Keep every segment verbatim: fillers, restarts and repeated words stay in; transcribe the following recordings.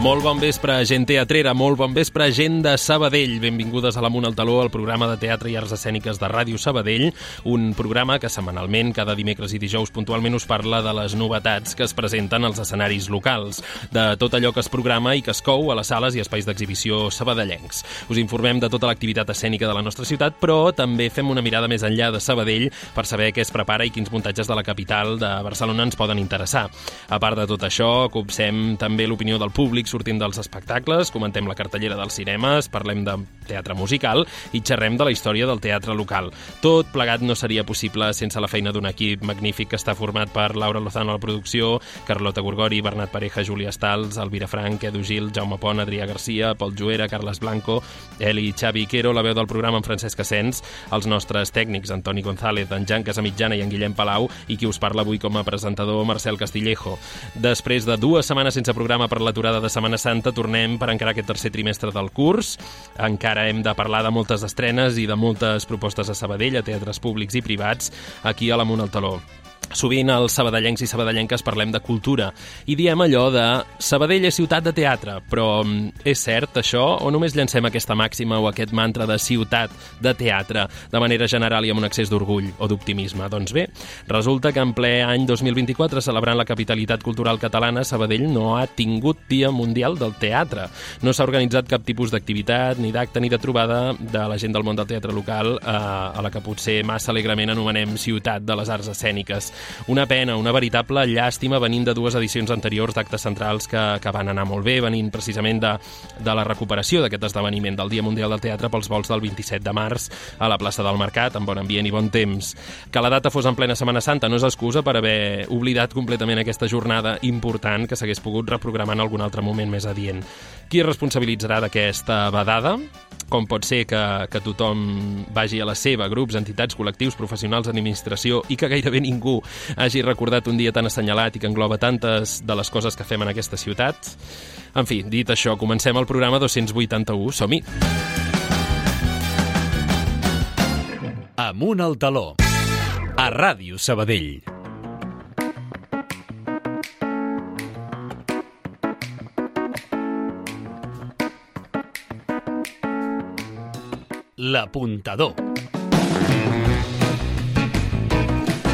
Molt bon vespre, gent teatrera, molt bon vespre, gent de Sabadell. Benvingudes a l'Amunt al Taló, el programa de teatre i arts escèniques de Ràdio Sabadell, un programa que setmanalment, cada dimecres i dijous, puntualment us parla de les novetats que es presenten als escenaris locals, de tot allò que es programa i que es cou a les sales i espais d'exhibició sabadellencs. Us informem de tota l'activitat escènica de la nostra ciutat, però també fem una mirada més enllà de Sabadell per saber què es prepara i quins muntatges de la capital de Barcelona ens poden interessar. A part de tot això, copsem també l'opinió del públic sortint dels espectacles, comentem la cartellera dels cinemes, parlem de teatre musical i xerrem de la història del teatre local. Tot plegat no seria possible sense la feina d'un equip magnífic que està format per Laura Lozano a la producció, Carlota Gorgori, Bernat Pareja, Júlia Stals, Elvira Frank, Edu Gil, Jaume Pont, Adrià Garcia, Pol Juera, Carles Blanco, Eli Xavi Quero, la veu del programa en Francesc Asens, els nostres tècnics Antoni González, en Jan Casamitjana i en Guillem Palau, i qui us parla avui com a presentador, Marcel Castillejo. Després de dues setmanes sense programa per l'aturada de Setmana Santa, tornem per encarar aquest tercer trimestre del curs. Encara hem de parlar de moltes estrenes i de moltes propostes a Sabadell, a teatres públics i privats, aquí a l'Amunt al Taló. Sovint els sabadellencs i sabadellenques parlem de cultura i diem allò de Sabadell és ciutat de teatre, però és cert això o només llancem aquesta màxima o aquest mantra de ciutat de teatre de manera general i amb un excés d'orgull o d'optimisme? Doncs bé, resulta que en ple any dos mil vint-i-quatre, celebrant la capitalitat cultural catalana, Sabadell no ha tingut Dia Mundial del Teatre. No s'ha organitzat cap tipus d'activitat, ni d'acte, ni de trobada de la gent del món del teatre local eh, a la que potser massa alegrement anomenem ciutat de les arts escèniques. Una pena, una veritable llàstima venint de dues edicions anteriors d'actes centrals que, que van anar molt bé, venint precisament de, de la recuperació d'aquest esdeveniment del Dia Mundial del Teatre pels vols del vint-i-set de març a la plaça del Mercat, amb bon ambient i bon temps. Que la data fos en plena Setmana Santa no és excusa per haver oblidat completament aquesta jornada important que s'hagués pogut reprogramar en algun altre moment més adient. Qui es responsabilitzarà d'aquesta vedada? Com pot ser que, que tothom vagi a la seva, grups, entitats, col·lectius, professionals, administració, i que gairebé ningú hagi recordat un dia tan assenyalat i que engloba tantes de les coses que fem en aquesta ciutat? En fi, dit això, comencem el programa dos-cents vuitanta-u. Som-hi! Amunt al Taló, a Ràdio Sabadell. L'Apuntador.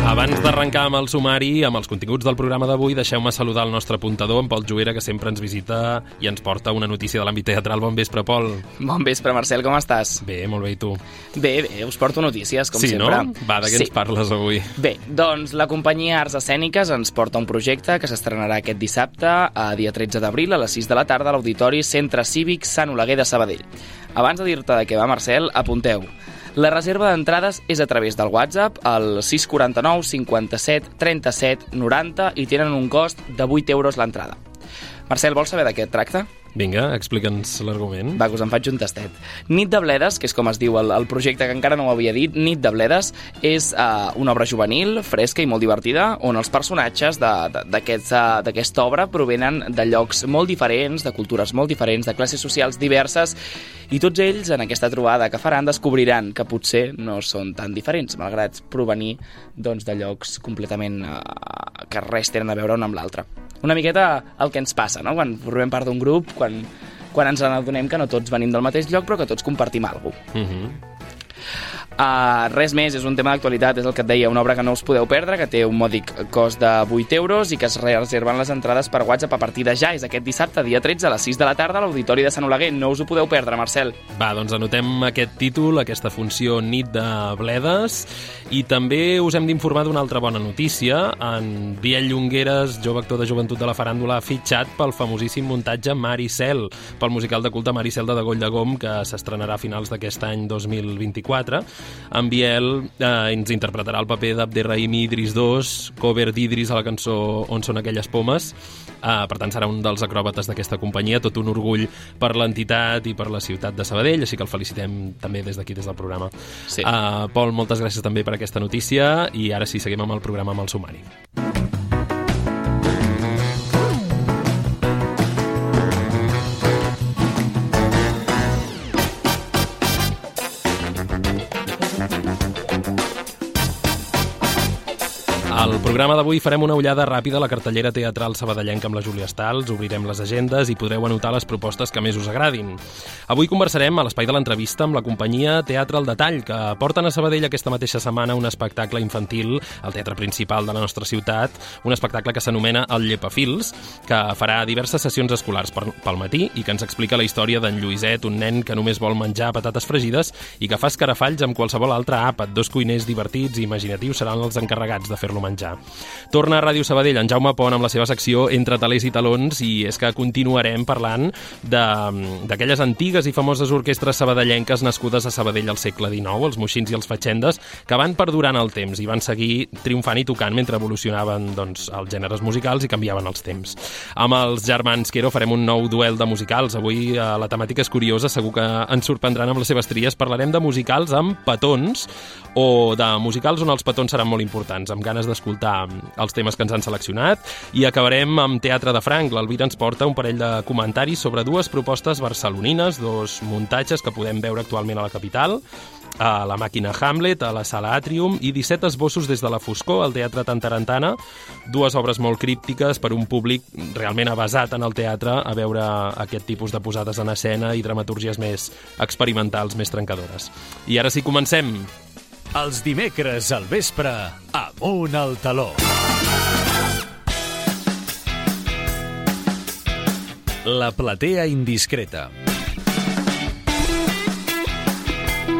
Abans d'arrencar amb el sumari, amb els continguts del programa d'avui, deixeu-me saludar el nostre apuntador, en Pol Juera, que sempre ens visita i ens porta una notícia de l'àmbit teatral. Bon vespre, Pol. Bon vespre, Marcel, com estàs? Bé, molt bé, i tu? Bé, bé, us porto notícies, com sí, sempre. Sí, no? Va, de què sí. ens parles avui? Bé, doncs la companyia Arts Escèniques ens porta un projecte que s'estrenarà aquest dissabte, a dia tretze d'abril, a les sis de la tarda, a l'Auditori Centre Cívic Sant Oleguer de Sabadell. Abans de dir-te de què va, Marcel, apunteu. La reserva d'entrades és a través del WhatsApp al sis quatre nou cinquanta-set trenta-set noranta i tenen un cost de vuit euros l'entrada. Marcel, vols saber de què et tracta? Vinga, explica'ns l'argument. Va, que us en faig un tastet. Nit de Bledes, que és com es diu el, el projecte, que encara no ho havia dit, Nit de Bledes és uh, una obra juvenil, fresca i molt divertida, on els personatges d'aquesta aquest, uh, obra provenen de llocs molt diferents, de cultures molt diferents, de classes socials diverses, i tots ells, en aquesta trobada que faran, descobriran que potser no són tan diferents, malgrat provenir doncs, de llocs completament uh, que res tenen a veure un amb l'altre. Una miqueta el que ens passa, no?, quan formem part d'un grup, quan, quan ens adonem que no tots venim del mateix lloc, però que tots compartim alguna cosa. Mhm. Uh, res més, és un tema d'actualitat, és el que et deia, una obra que no us podeu perdre, que té un mòdic cost de vuit euros i que es reserven les entrades per WhatsApp a partir de ja. És aquest dissabte, dia tretze, a les sis de la tarda, a l'Auditori de Sant Oleguer. No us ho podeu perdre, Marcel. Va, doncs anotem aquest títol, aquesta funció Nit de Bledes, i també us hem d'informar d'una altra bona notícia. En Biel Llongueres, jove actor de Joventut de la Faràndula, ha fitxat pel famosíssim muntatge Maricel, pel musical de culte Maricel de Degoll de Gom, que s'estrenarà a finals d'aquest any dos mil vint-i-quatre. En Biel eh, ens interpretarà el paper d'Abderrahim Idris dos, cover d'Idris a la cançó On són aquelles pomes. Eh, per tant, serà un dels acròbates d'aquesta companyia, tot un orgull per l'entitat i per la ciutat de Sabadell, així que el felicitem també des d'aquí, des del programa. Sí. Eh, Pol, moltes gràcies també per aquesta notícia, i ara sí, seguim amb el programa, amb el sumari. El programa d'avui farem una ullada ràpida a la cartellera teatral sabadellenca amb la Júlia Stals, obrirem les agendes i podreu anotar les propostes que més us agradin. Avui conversarem a l'espai de l'entrevista amb la companyia Teatre al Detall, que porten a Sabadell aquesta mateixa setmana un espectacle infantil al teatre principal de la nostra ciutat, un espectacle que s'anomena El Llepafils, que farà diverses sessions escolars pel matí i que ens explica la història d'en Lluïset, un nen que només vol menjar patates fregides i que fa escarafalls amb qualsevol altre àpat. Dos cuiners divertits i imaginatius seran els encarregats de fer-lo menjar. Torna a Ràdio Sabadell en Jaume Pont amb la seva secció Entre talers i talons, i és que continuarem parlant d'aquelles antigues i famoses orquestres sabadellenques nascudes a Sabadell al segle dinou, els moixins i els fatxendes, que van perdurant el temps i van seguir triomfant i tocant mentre evolucionaven doncs, els gèneres musicals i canviaven els temps. Amb els germans Quero farem un nou duel de musicals. Avui eh, la temàtica és curiosa, segur que ens sorprendran amb les seves tries. Parlarem de musicals amb petons o de musicals on els petons seran molt importants, amb ganes d'escoltar els temes que ens han seleccionat, i acabarem amb Teatre de Franc. L'Alvira ens porta un parell de comentaris sobre dues propostes barcelonines, dos muntatges que podem veure actualment a la capital, a la Màquina Hamlet, a la Sala Atrium, i disset esbossos des de la foscor al Teatre Tantarantana, dues obres molt críptiques per un públic realment avasat en el teatre a veure aquest tipus de posades en escena i dramatúrgies més experimentals, més trencadores. I ara sí, comencem! Els dimecres al vespre, Amunt al taló. La platea indiscreta.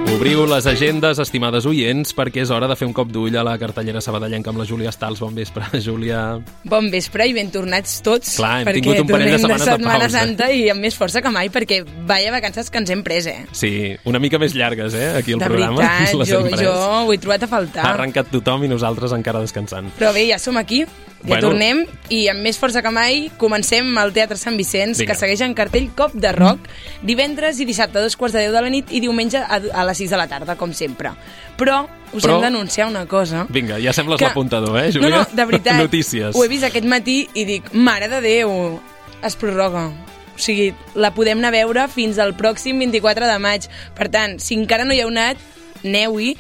Obriu les agendes, estimades oients, perquè és hora de fer un cop d'ull a la cartellera sabadellenca amb la Júlia Stals. Bon vespre, Júlia. Bon vespre i ben tornats tots. Clar, hem tingut un parell de setmanes de, de Setmana pausa. Santa i amb més força que mai, perquè vaya vacances que ens hem pres, eh? Sí, una mica més llargues, eh, aquí al de programa. De veritat, jo, jo ho he trobat a faltar. Ha arrencat tothom i nosaltres encara descansant. Però bé, ja som aquí. Ja bueno, tornem i amb més força que mai comencem al Teatre Sant Vicenç, Vinga. que segueix en cartell Cop de Rock, divendres i dissabte a dos quarts de deu de la nit i diumenge a, a les sis de la tarda, com sempre. Però us Però... hem d'anunciar una cosa. Vinga, ja sembles que... l'apuntador, eh, Júlia? No, no, de veritat. Notícies. Ho he vist aquest matí i dic, mare de Déu, es prorroga. O sigui, la podem anar a veure fins al pròxim vint-i-quatre de maig. Per tant, si encara no hi heu anat, aneu-hi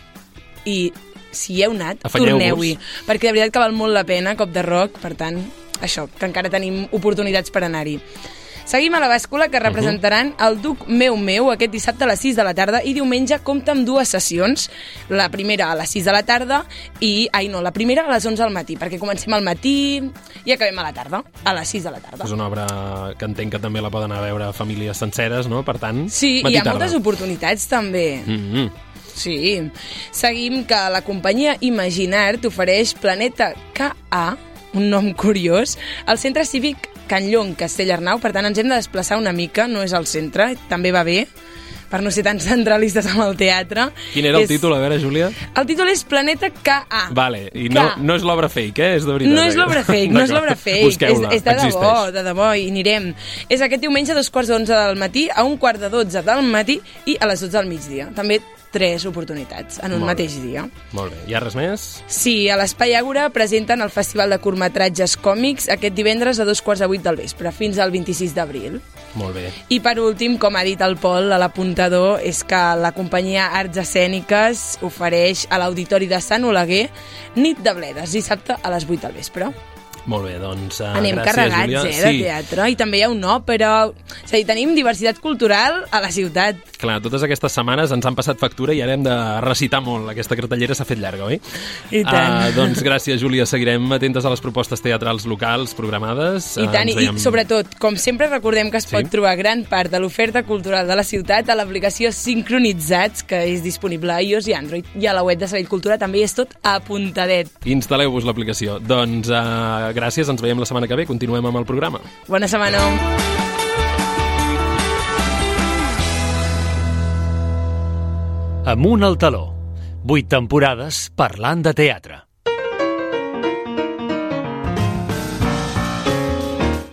i... si hi heu anat, torneu-hi, perquè de veritat que val molt la pena, Cop de Rock, per tant, això, que encara tenim oportunitats per anar-hi. Seguim a la bàscula, que representaran el Duc Meu Meu aquest dissabte a les sis de la tarda i diumenge compta amb dues sessions, la primera a les sis de la tarda i, ai no, la primera a les onze del matí, perquè comencem al matí i acabem a la tarda, a les sis de la tarda. És una obra que entenc que també la poden anar a veure famílies senceres, no? Per tant, sí, hi ha tarda. moltes oportunitats també. Mm-hmm. Sí. Seguim que la companyia Imaginar t'ofereix Planeta K A, un nom curiós, al centre cívic Can Llong, Castellarnau. Per tant, ens hem de desplaçar una mica, no és al centre, també va bé, per no ser tan centralistes amb el teatre. Quin era el és... títol, a veure, Júlia? El títol és Planeta K A. Vale, i no, no és l'obra fake, eh? És de veritat. No és l'obra fake, no és l'obra fake. Busqueu-la, és, és de existeix. debò, de debò, i anirem. És aquest diumenge a dos quarts d'onze del matí, a un quart de dotze del matí i a les dotze del migdia. També tres oportunitats en un Molt mateix bé. dia. Molt bé. Hi ha res més? Sí, a l'Espai Àgora presenten el Festival de Curtmetratges Còmics aquest divendres a dos quarts de vuit del vespre, fins al vint-i-sis d'abril. Molt bé. I per últim, com ha dit el Pol a l'apuntador, és que la companyia Arts Escèniques ofereix a l'Auditori de Sant Oleguer Nit de Bledes, dissabte a les vuit del vespre. Molt bé, doncs uh, Anem gràcies, carregats, Júlia. eh, de sí. teatre. I també hi ha una òpera. És a dir, tenim diversitat cultural a la ciutat. Clar, totes aquestes setmanes ens han passat factura i ara hem de recitar molt. Aquesta cartellera s'ha fet llarga, oi? I tant. Uh, doncs gràcies, Júlia. Seguirem atentes a les propostes teatrals locals programades. I tant, uh, veiem... i sobretot, com sempre recordem que es sí? pot trobar gran part de l'oferta cultural de la ciutat a l'aplicació Sincronitzats, que és disponible a iOS i Android. I a la web de Sabadell Cultura també és tot apuntadet. Instal·leu-vos l'aplicació. Doncs uh, gràcies, ens veiem la setmana que ve. Continuem amb el programa. Bona setmana. Amunt al taló. Vuit temporades parlant de teatre.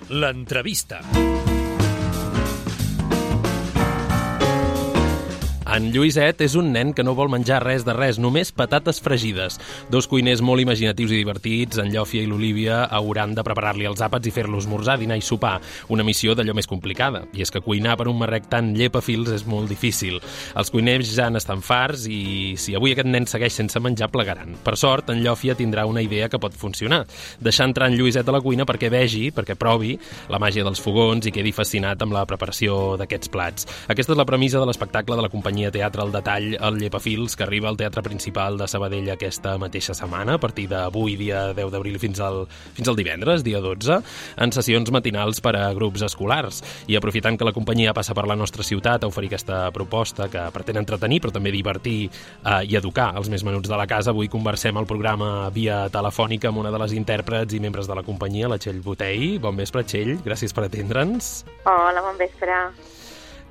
L'entrevista. En Lluïset és un nen que no vol menjar res de res, només patates fregides. Dos cuiners molt imaginatius i divertits, en Llòfia i l'Olívia, hauran de preparar-li els àpats i fer-lo esmorzar, dinar i sopar. Una missió d'allò més complicada. I és que cuinar per un marrec tan llepafils és molt difícil. Els cuiners ja n'estan farts i si avui aquest nen segueix sense menjar, plegaran. Per sort, en Llòfia tindrà una idea que pot funcionar. Deixar entrar en Lluïset a la cuina perquè vegi, perquè provi la màgia dels fogons i quedi fascinat amb la preparació d'aquests plats. Aquesta és la premissa de l'espectacle de la companyia Teatre al Detall, el Llepafils, que arriba al Teatre Principal de Sabadell aquesta mateixa setmana, a partir d'avui, dia deu d'abril, fins al, fins al divendres, dia dotze, en sessions matinals per a grups escolars. I aprofitant que la companyia passa per la nostra ciutat a oferir aquesta proposta que pretén entretenir, però també divertir eh, i educar els més menuts de la casa, avui conversem al programa via telefònica amb una de les intèrprets i membres de la companyia, la Txell Botei. Bon vespre, Txell, gràcies per atendre'ns. Hola, bon vespre.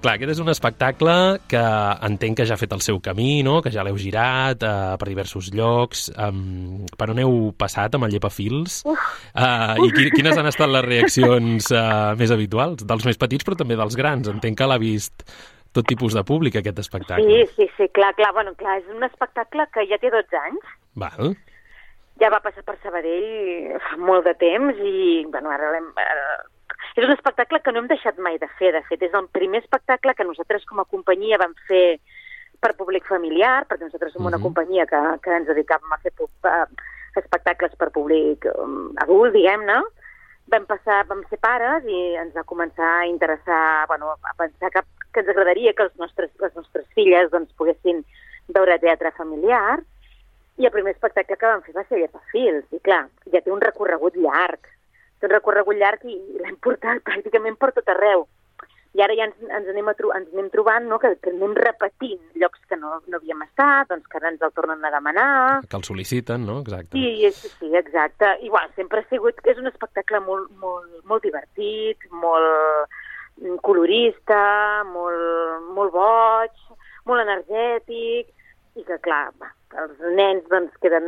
Clar, aquest és un espectacle que entenc que ja ha fet el seu camí, no? Que ja l'heu girat uh, per diversos llocs. Um, per on heu passat amb el Llepafils? Uh, I qui, quines han estat les reaccions uh, més habituals? Dels més petits, però també dels grans. Entenc que l'ha vist tot tipus de públic, aquest espectacle. Sí, sí, sí, clar, clar. Bueno, clar, és un espectacle que ja té dotze anys. Val. Ja va passar per Sabadell fa molt de temps i, bueno, ara l'hem... És un espectacle que no hem deixat mai de fer, de fet. És el primer espectacle que nosaltres com a companyia vam fer per públic familiar, perquè nosaltres som una uh-huh. companyia que, que ens dedicàvem a fer uh, espectacles per públic um, adult, diguem-ne. Vam passar, vam ser pares i ens va començar a interessar, bueno, a pensar que, que ens agradaria que els nostres, les nostres filles doncs, poguessin veure teatre familiar. I el primer espectacle que vam fer va ser Llepafils. I clar, ja té un recorregut llarg. un recorregut llarg i l'hem portat pràcticament per tot arreu. I ara ja ens, ens, anem, a tro ens anem trobant, no?, que, que anem repetint llocs que no, no havíem estat, doncs que ara ens el tornen a demanar. Que el sol·liciten, no? Exacte. Sí, sí, sí, exacte. I bueno, sempre ha sigut... És un espectacle molt, molt, molt divertit, molt colorista, molt, molt boig, molt energètic, i que, clar, va, els nens doncs, queden,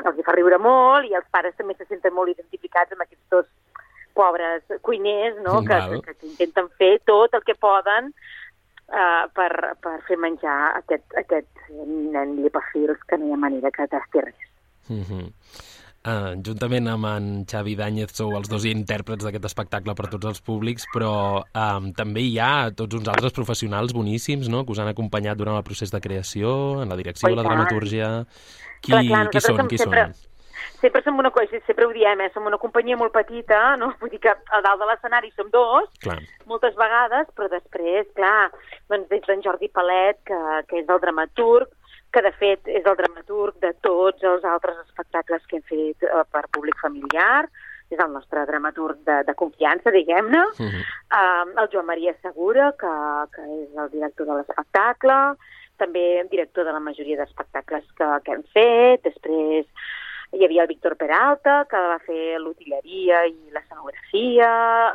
els hi fa riure molt i els pares també se senten molt identificats amb aquests dos pobres cuiners, no?, que, que, que intenten fer tot el que poden uh, per, per fer menjar aquest, aquest nen Llepafils, que no hi ha manera que tasti res. Mm-hmm. Uh, juntament amb en Xavi Dàñez sou els dos intèrprets d'aquest espectacle per tots els públics, però um, també hi ha tots uns altres professionals boníssims, no?, que us han acompanyat durant el procés de creació, en la direcció, oh, la dramaturgia. Qui, clar, clar, qui són? Qui sempre, són? Sempre som una cosa, sempre ho diem, eh? Som una companyia molt petita, no? Vull dir que a dalt de l'escenari som dos, clar, moltes vegades, però després, clar, doncs des d'en Jordi Palet, que, que és el dramaturg, que de fet és el dramaturg de tots els altres espectacles que hem fet eh, per públic familiar, és el nostre dramaturg de, de confiança, diguem-ne, uh-huh. um, el Joan Maria Segura, que, que és el director de l'espectacle, també director de la majoria d'espectacles que, que hem fet, després hi havia el Víctor Peralta, que va fer l'utilleria i l'escenografia,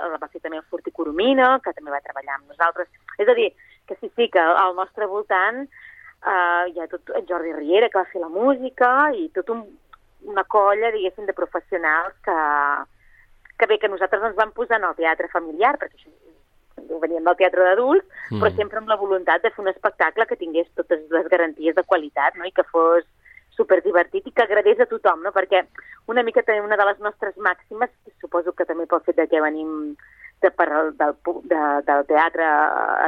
la va fer també el Fortí Coromina, que també va treballar amb nosaltres. És a dir, que sí, sí, que al nostre voltant Uh, hi ha tot en Jordi Riera, que va fer la música, i tot un, una colla, diguéssim, de professionals que, que bé, que nosaltres ens vam posar en el teatre familiar, perquè això veníem del teatre d'adults, mm. però sempre amb la voluntat de fer un espectacle que tingués totes les garanties de qualitat, no?, i que fos superdivertit i que agradés a tothom, no?, perquè una mica també una de les nostres màximes, suposo que també pel fet de que venim de, per, del, de, del teatre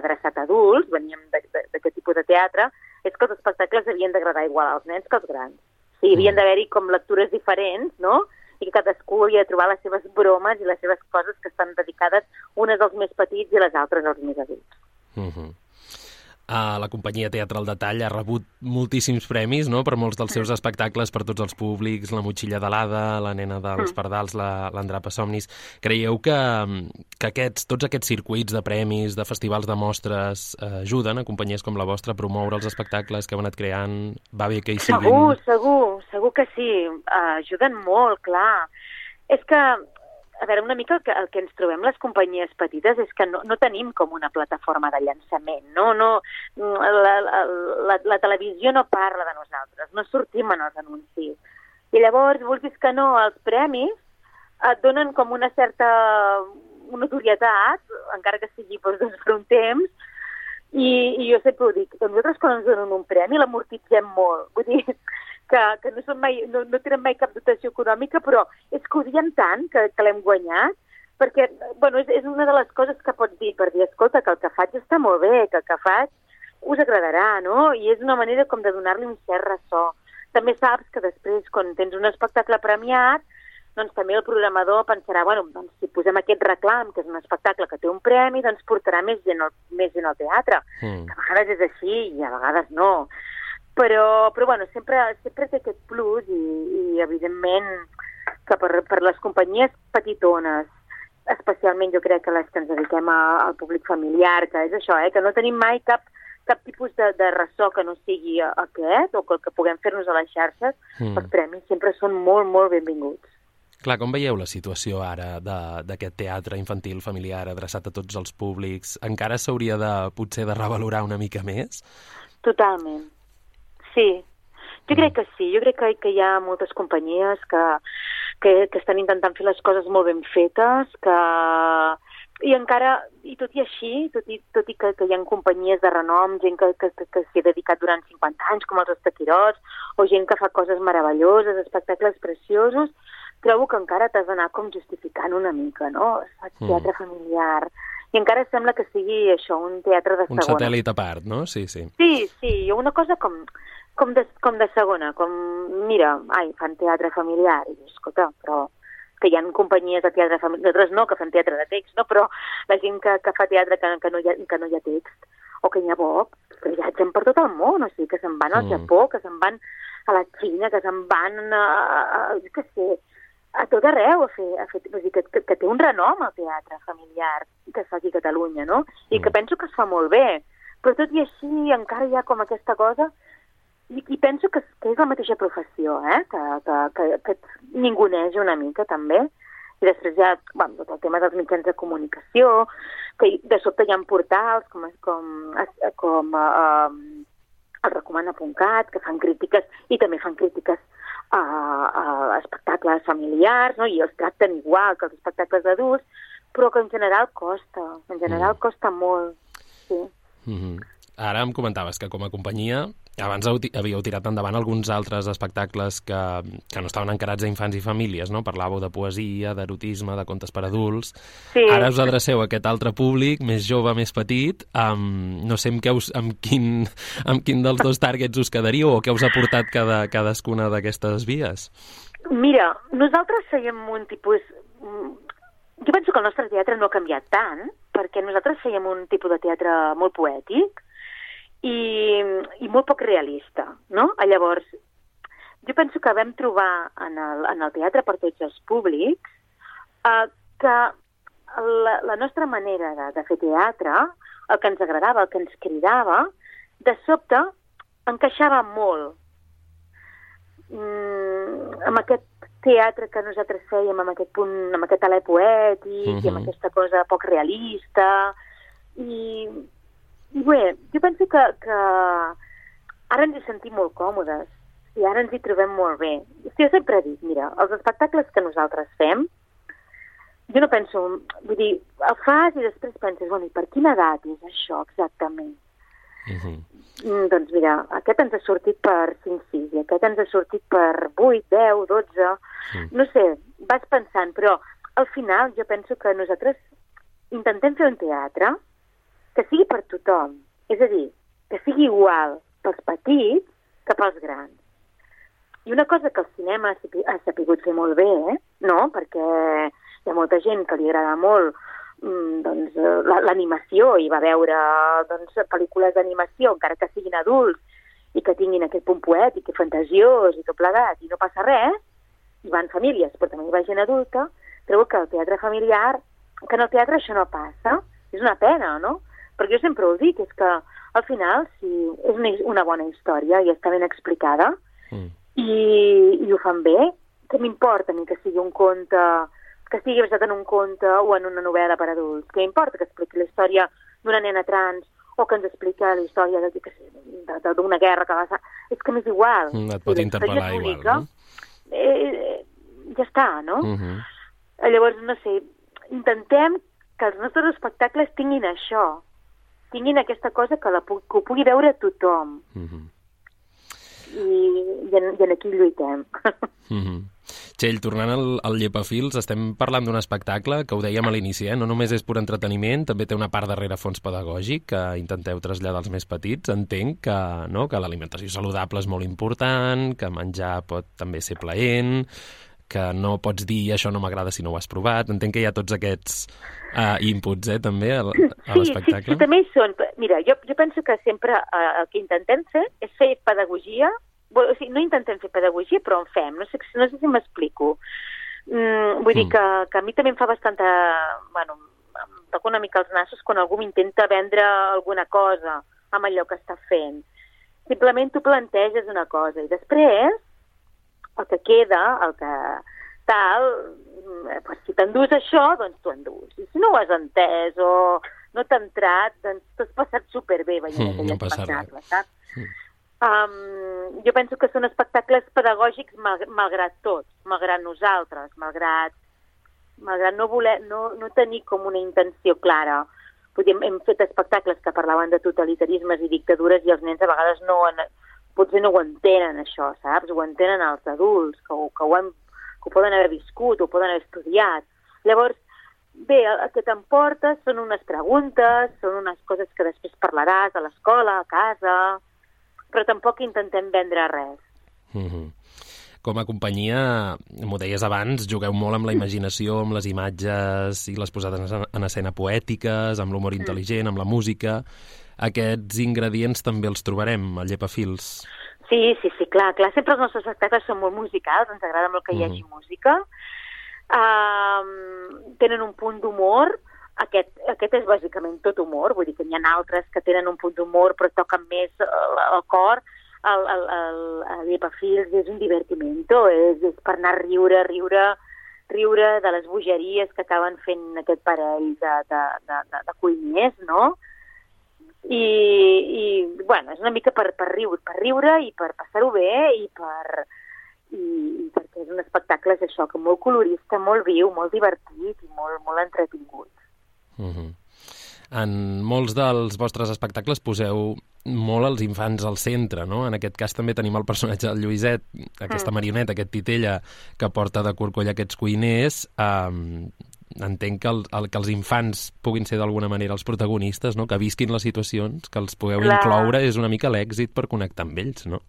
adreçat a adults, veníem d'aquest tipus de teatre, és que els espectacles havien d'agradar igual als nens que als grans. O sigui, havien d'haver-hi com lectures diferents, no?, i que cadascú havia de trobar les seves bromes i les seves coses que estan dedicades unes als més petits i les altres als més adults. Uh-huh. Uh, la companyia Teatre al Detall ha rebut moltíssims premis, no?, per molts dels seus espectacles, per tots els públics, La motxilla de l'Ada, La nena dels pardals, la, l'Andrapa Somnis. Creieu que, que aquests, tots aquests circuits de premis, de festivals de mostres, uh, ajuden a companyies com la vostra a promoure els espectacles que heu anat creant? Va bé que hi siguin? Segur, segur, segur que sí. Uh, ajuden molt, clar. És que a veure, una mica el que, el que ens trobem les companyies petites és que no, no tenim com una plataforma de llançament, no? no la, la, la, la televisió no parla de nosaltres, no sortim en els anuncis. I llavors, vulguis que no, els premis et donen com una certa notorietat, encara que sigui doncs, per un temps, I, i jo sempre ho dic, que nosaltres quan ens donen un premi l'amortitzem molt. Vull dir que, que no, són mai, no, no tenen mai cap dotació econòmica, però és que ho diem tant que, que l'hem guanyat, perquè bueno, és, és una de les coses que pots dir per dir, escolta, que el que faig està molt bé, que el que faig us agradarà, no? I és una manera com de donar-li un cert ressò. També saps que després, quan tens un espectacle premiat, doncs també el programador pensarà, bueno, doncs si posem aquest reclam, que és un espectacle que té un premi, doncs portarà més gent al, més gent al teatre. Mm. Que a vegades és així i a vegades no. Però, però bueno, sempre, sempre té aquest plus i, i evidentment, que per, per les companyies petitones, especialment jo crec que les que ens dediquem a, al públic familiar, que és això, eh, que no tenim mai cap, cap tipus de, de ressò que no sigui aquest, o que el que puguem fer-nos a les xarxes, mm. els premis sempre són molt, molt benvinguts. Clar, com veieu la situació ara d'aquest teatre infantil familiar adreçat a tots els públics? Encara s'hauria de, potser, de revalorar una mica més? Totalment. Sí. Jo mm. crec que sí. Jo crec que, que hi ha moltes companyies que, que, que estan intentant fer les coses molt ben fetes, que... I encara, i tot i així, tot i, tot i que, que hi ha companyies de renom, gent que, que, que, que s'hi ha dedicat durant cinquanta anys, com els Estaquirots, o gent que fa coses meravelloses, espectacles preciosos, trobo que encara t'has d'anar com justificant una mica, no? Faig teatre mm. familiar. I encara sembla que sigui això, un teatre de segona. Un satèl·lit a part, no? Sí, sí. Sí, sí, una cosa com, com, de, com de segona, com, mira, ai, fan teatre familiar, i escolta, però que hi ha companyies de teatre familiar, nosaltres no, que fan teatre de text, no? Però la gent que, que fa teatre que, que, no hi ha, que no hi ha text, o que hi ha poc, que viatgen per tot el món, o sigui, que se'n van al mm. Japó, que se'n van a la Xina, que se'n van a, a, a, què sé, a tot arreu, a fer, a fer, vull dir, que, que, que té un renom el teatre familiar que es fa aquí a Catalunya, no? I que penso que es fa molt bé, però tot i així encara hi ha com aquesta cosa, i, i penso que, que és la mateixa professió, eh? que, que, que, que ninguneix una mica també, i després hi ha bueno, tot el tema dels mitjans de comunicació, que de sobte hi ha portals com, com, com uh, el recomana punt cat, que fan crítiques, i també fan crítiques a, a espectacles familiars, no? I els tracten igual que els espectacles adults, però que en general costa, en general mm. costa molt, sí. Mm-hmm. Ara em comentaves que com a companyia abans havíeu tirat endavant alguns altres espectacles que, que no estaven encarats a infants i famílies, no? Parlàveu de poesia, d'erotisme, de contes per adults. Sí. Ara us adreceu a aquest altre públic, més jove, més petit. Um, no sé amb, què us, amb, quin, amb quin dels dos targets us quedaríeu o què us ha portat cada, cadascuna d'aquestes vies? Mira, nosaltres fèiem un tipus... Jo penso que el nostre teatre no ha canviat tant, perquè nosaltres fèiem un tipus de teatre molt poètic, I, i molt poc realista, no? Llavors, jo penso que vam trobar en el, en el teatre per tots els públics eh, que la, la nostra manera de, de fer teatre, el que ens agradava, el que ens cridava, de sobte encaixava molt mm, amb aquest teatre que nosaltres fèiem, amb aquest punt, amb aquest alè poètic, mm-hmm. i amb aquesta cosa poc realista, i... I bé, jo penso que, que ara ens hi sentim molt còmodes i ara ens hi trobem molt bé. Jo sempre dic, mira, els espectacles que nosaltres fem, jo no penso, vull dir, el fas i després penses, bueno, i per quina edat és això exactament? Uh-huh. Mm, doncs mira, aquest ens ha sortit per cinc sis i aquest ens ha sortit per vuit, deu, dotze, uh-huh. No sé, vas pensant, però al final jo penso que nosaltres intentem fer un teatre que sigui per tothom, és a dir, que sigui igual pels petits que pels grans. I una cosa que el cinema ha sapigut fer molt bé, eh? No? Perquè hi ha molta gent que li agrada molt doncs, l'animació i va veure doncs, pel·lícules d'animació, encara que siguin adults i que tinguin aquest punt poètic i fantasiós i tot plegat, i no passa res, hi van famílies, però també hi va gent adulta, trobo que el teatre familiar, que en el teatre això no passa, és una pena, no? Perquè jo sempre ho dic, és que al final, si és una, una bona història i està ben explicada, mm. i, i ho fan bé, que m'importa ni que sigui un conte, que estigui basat en un conte o en una novel·la per adults, que m'importa que expliqui la història d'una nena trans o que ens explica la història d'una guerra que va ser... És que m'és igual. Mm, et pot interpel·lar igual, no? Eh, ja està, no? Mm-hmm. Llavors, no sé, intentem que els nostres espectacles tinguin això, tinguin aquesta cosa que, la, que ho pugui veure tothom. Mm-hmm. I, i, en, i en aquí lluitem. Mm-hmm. Txell, tornant al, al Llepafils, estem parlant d'un espectacle que ho dèiem a l'inici, eh? No només és pur entreteniment, també té una part darrere fons pedagògic que intenteu traslladar als més petits. Entenc que, no, que l'alimentació saludable és molt important, que menjar pot també ser plaent, que no pots dir això no m'agrada si no ho has provat. Entenc que hi ha tots aquests uh, inputs, eh, també, a, a l'espectacle. Sí, sí, també hi són. Mira, jo, jo penso que sempre uh, el que intentem fer és fer pedagogia. O sigui, no intentem fer pedagogia, però en fem. No sé, no sé si m'explico. Mm, vull mm. dir que, que a mi també em fa bastanta... Bueno, em toca una mica els nassos quan algú m'intenta vendre alguna cosa amb allò que està fent. Simplement tu planteges una cosa i després el que queda, el que tal, pues, si t'endús això, doncs tu endús. I si no ho has entès o no t'ha entrat, doncs t'has passat superbé veient mm, aquell no espectacle, saps? Mm. Um, jo penso que són espectacles pedagògics mal, malgrat tots, malgrat nosaltres, malgrat, malgrat no, voler, no, no tenir com una intenció clara. Podem, hem fet espectacles que parlaven de totalitarismes i dictadures i els nens a vegades no, en, potser no ho entenen això, saps? Ho entenen els adults, que ho, que ho, han, que ho poden haver viscut, ho poden haver estudiat. Llavors, bé, el que t'emportes són unes preguntes, són unes coses que després parlaràs a l'escola, a casa, però tampoc intentem vendre res. Mm-hmm. Com a companyia, m'ho deies abans, jugueu molt amb la imaginació, amb les imatges i les posades en escena poètiques, amb l'humor intel·ligent, amb la música. Aquests ingredients també els trobarem al Llepafils. Sí, sí, sí, clar, clar. Sempre els nostres espectacles són molt musicals, ens agrada molt que hi hagi mm-hmm. música. Uh, tenen un punt d'humor. Aquest, aquest és bàsicament tot humor, vull dir que hi ha altres que tenen un punt d'humor però toquen més el, el cor. El, el, el, el Llepafils és un divertimento, és, és per anar a riure, riure, riure de les bogeries que acaben fent aquest parell de, de, de, de, de cuiners, no? I, i bueno, és una mica per, per, riure, per riure i per passar-ho bé i per... I, i perquè és un espectacle, és això, que molt colorista, molt viu, molt divertit i molt, molt entretingut. Uh-huh. En molts dels vostres espectacles poseu molt els infants al centre, no? En aquest cas també tenim el personatge del Lluïset, aquesta mm. marioneta, aquest titella que porta de corcoll aquests cuiners. Um, entenc que, el, el, que els infants puguin ser d'alguna manera els protagonistes, no? Que visquin les situacions, que els pugueu clar. Incloure, és una mica l'èxit per connectar amb ells, no?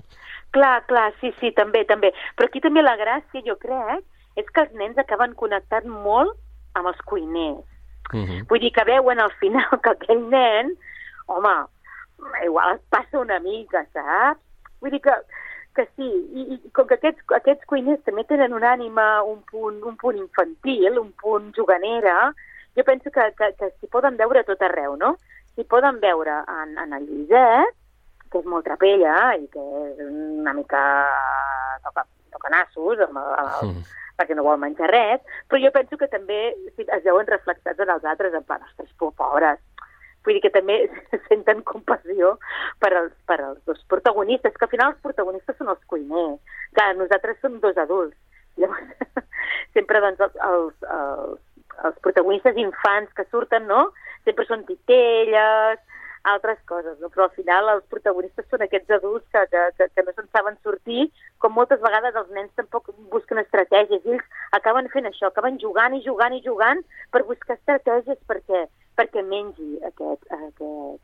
Clar, clar, sí, sí, també, també. Però aquí també la gràcia, jo crec, és que els nens acaben connectant molt amb els cuiners. Uh-huh. Vull dir que veuen al final que aquell nen, home, igual es passa una mica, saps? Vull dir que, que sí, i, i com que aquests, aquests cuiners també tenen una ànima, un punt, un punt infantil, un punt juganera, jo penso que, que, que s'hi poden veure tot arreu, no? S'hi poden veure en, en el Lluïset, que és molt trapella i que és una mica toca, toca nassos, amb el, amb el, uh-huh. perquè no vol menjar res, però jo penso que també es veuen reflexats en els altres, en plan, ostres, pobres. Vull dir que també senten compassió per als, per als dos protagonistes, que al final els protagonistes són els cuiners, que nosaltres som dos adults. Llavors, sempre doncs, els, els, els, els protagonistes infants que surten, no?, sempre són titelles, altres coses, no? Però al final els protagonistes són aquests adults que, que, que no se'n saben sortir, com moltes vegades els nens tampoc busquen estratègies, ells acaben fent això, acaben jugant i jugant i jugant per buscar estratègies perquè, perquè mengi aquest... aquest...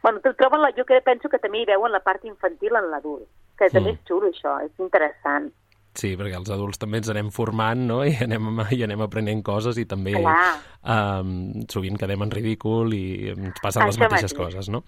Bueno, troben la, jo que penso que també hi veuen la part infantil en l'adult, que també mm. és xulo això, és interessant. Sí, perquè els adults també ens anem formant, no?, i anem, i anem aprenent coses i també um, sovint quedem en ridícul i ens passen les mateixes coses, no?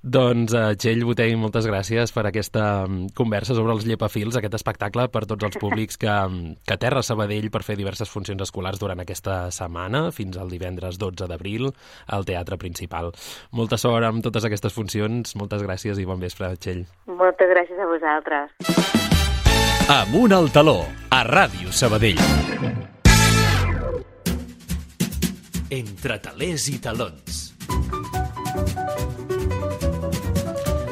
Doncs, uh, Txell Botey, moltes gràcies per aquesta conversa sobre els Llepafils, aquest espectacle per tots els públics que, que aterra a Sabadell per fer diverses funcions escolars durant aquesta setmana, fins al divendres dotze d'abril, al Teatre Principal. Molta sort amb totes aquestes funcions, moltes gràcies i bon vespre, Txell. Moltes gràcies a vosaltres. Amunt al taló, a Ràdio Sabadell. Entre talers i talons.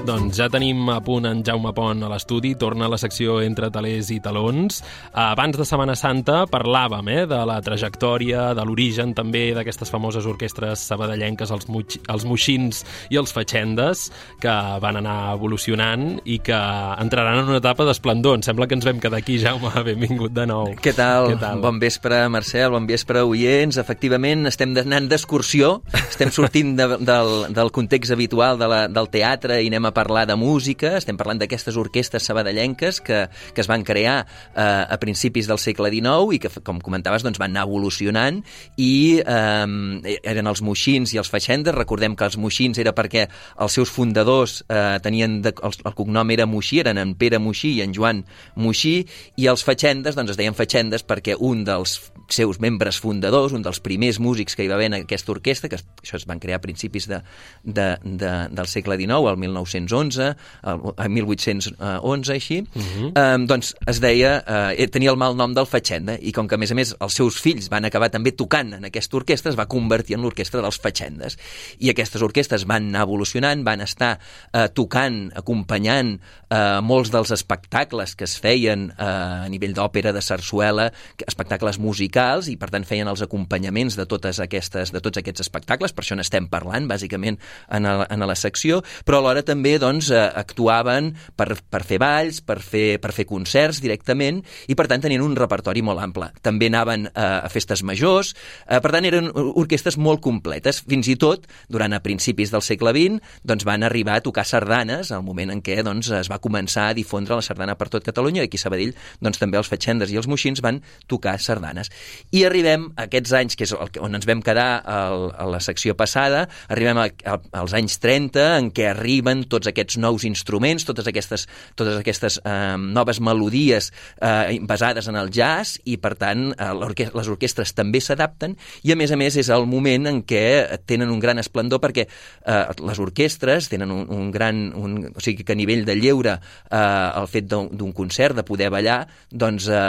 Doncs ja tenim a punt en Jaume Pont a l'estudi, torna a la secció Entre talers i talons. Abans de Setmana Santa parlàvem eh, de la trajectòria, de l'origen també d'aquestes famoses orquestres sabadellenques, els, muix, els moixins i els fatxendes, que van anar evolucionant i que entraran en una etapa d'esplendor. Em sembla que ens vam quedar aquí, Jaume, benvingut de nou. Què tal? Què tal? Bon vespre, Marcel, bon vespre, oients. Efectivament, estem anant d'excursió, estem sortint de, del, del context habitual de la, del teatre i anem a parlar de música, estem parlant d'aquestes orquestres sabadellenques que, que es van crear eh, a principis del segle dinou i que, com comentaves, doncs, van anar evolucionant i eh, eren els moixins i els fatxendes. Recordem que els moixins era perquè els seus fundadors eh, tenien de, el, el cognom era Moixí, eren en Pere Moixí i en Joan Moixí, i els fatxendes doncs, es deien fatxendes perquè un dels seus membres fundadors, un dels primers músics que hi va haver en aquesta orquestra, que això es van crear a principis de, de, de, del segle dinou, al mil nou-cents onze, al mil vuit-cents onze, així, uh-huh. eh, doncs es deia, eh, tenia el mal nom del fatxenda, i com que a més a més els seus fills van acabar també tocant en aquesta orquestra, es va convertir en l'orquestra dels fatxendes. I aquestes orquestres van anar evolucionant, van estar eh, tocant, acompanyant eh, molts dels espectacles que es feien eh, a nivell d'òpera, de sarsuela, espectacles musicals, i per tant feien els acompanyaments de totes aquestes, de tots aquests espectacles, per això n'estem parlant, bàsicament, en, el, en la secció, però alhora també doncs, actuaven per, per fer balls, per fer, per fer concerts directament, i per tant tenien un repertori molt ample. També anaven eh, a festes majors, eh, per tant eren orquestres molt completes. Fins i tot, durant a principis del segle vint, doncs, van arribar a tocar sardanes, al moment en què doncs, es va començar a difondre la sardana per tot Catalunya, i aquí a Sabadell doncs, també els fatxendes i els moixins van tocar sardanes. I arribem a aquests anys, que és el, on ens vam quedar el, a la secció passada, arribem a, a, als anys trenta, en què arriben tots aquests nous instruments, totes aquestes, totes aquestes eh, noves melodies eh, basades en el jazz, i per tant eh, l'orque- les orquestres també s'adapten, i a més a més és el moment en què tenen un gran esplendor, perquè eh, les orquestres tenen un, un gran... Un, o sigui que a nivell de lleure eh, el fet d'un, d'un concert, de poder ballar, doncs eh,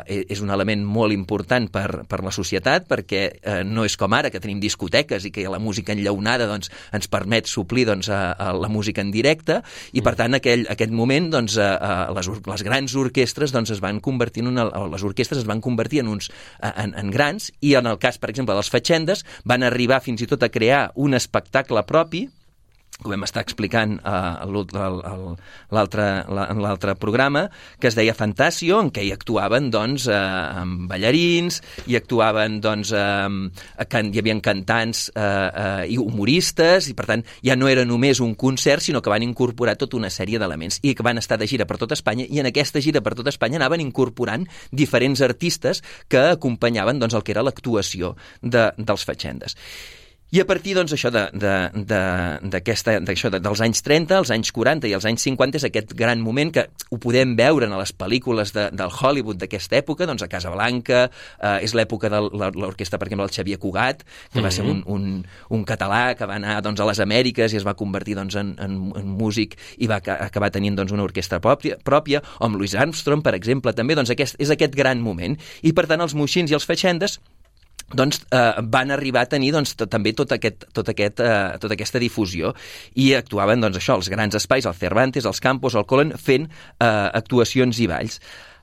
eh, és un element molt important per, per la societat, perquè eh, no és com ara, que tenim discoteques i que la música enllaunada doncs, ens permet suplir doncs, a, a la música en directe, i per tant aquell, aquest moment doncs, a, a les, les grans orquestres doncs, es van convertir en una, les orquestres es van convertir en uns en, en grans, i en el cas, per exemple, dels fatxendes, van arribar fins i tot a crear un espectacle propi, que ho vam estar explicant uh, l'altre, en l'altre programa, que es deia Fantasio, en què hi actuaven doncs, uh, amb ballarins, hi actuaven doncs, uh, can, hi havia cantants uh, uh, i humoristes, i per tant ja no era només un concert, sinó que van incorporar tota una sèrie d'elements, i que van estar de gira per tot Espanya, i en aquesta gira per tot Espanya anaven incorporant diferents artistes que acompanyaven doncs, el que era l'actuació de, dels fatxendes. I a partir doncs, això de, de, de, d'aquesta, d'això de, dels anys trenta, els anys quaranta i els anys cinquanta és aquest gran moment que ho podem veure en les pel·lícules de, del Hollywood d'aquesta època, doncs a Casablanca, eh, és l'època de l'orquestra, per exemple, el Xavier Cugat, que va ser un, un, un català que va anar doncs, a les Amèriques i es va convertir doncs, en, en, en músic i va acabar tenint doncs, una orquestra pròpia, pròpia, o amb Louis Armstrong, per exemple, també doncs, aquest, és aquest gran moment. I per tant els moixins i els fatxendes doncs eh, van arribar a tenir doncs, tot, també tot aquest, tot aquest, eh, tota aquesta difusió, i actuaven doncs, això, els grans espais, el Cervantes, els Campos, el Colón, fent eh, actuacions i balls.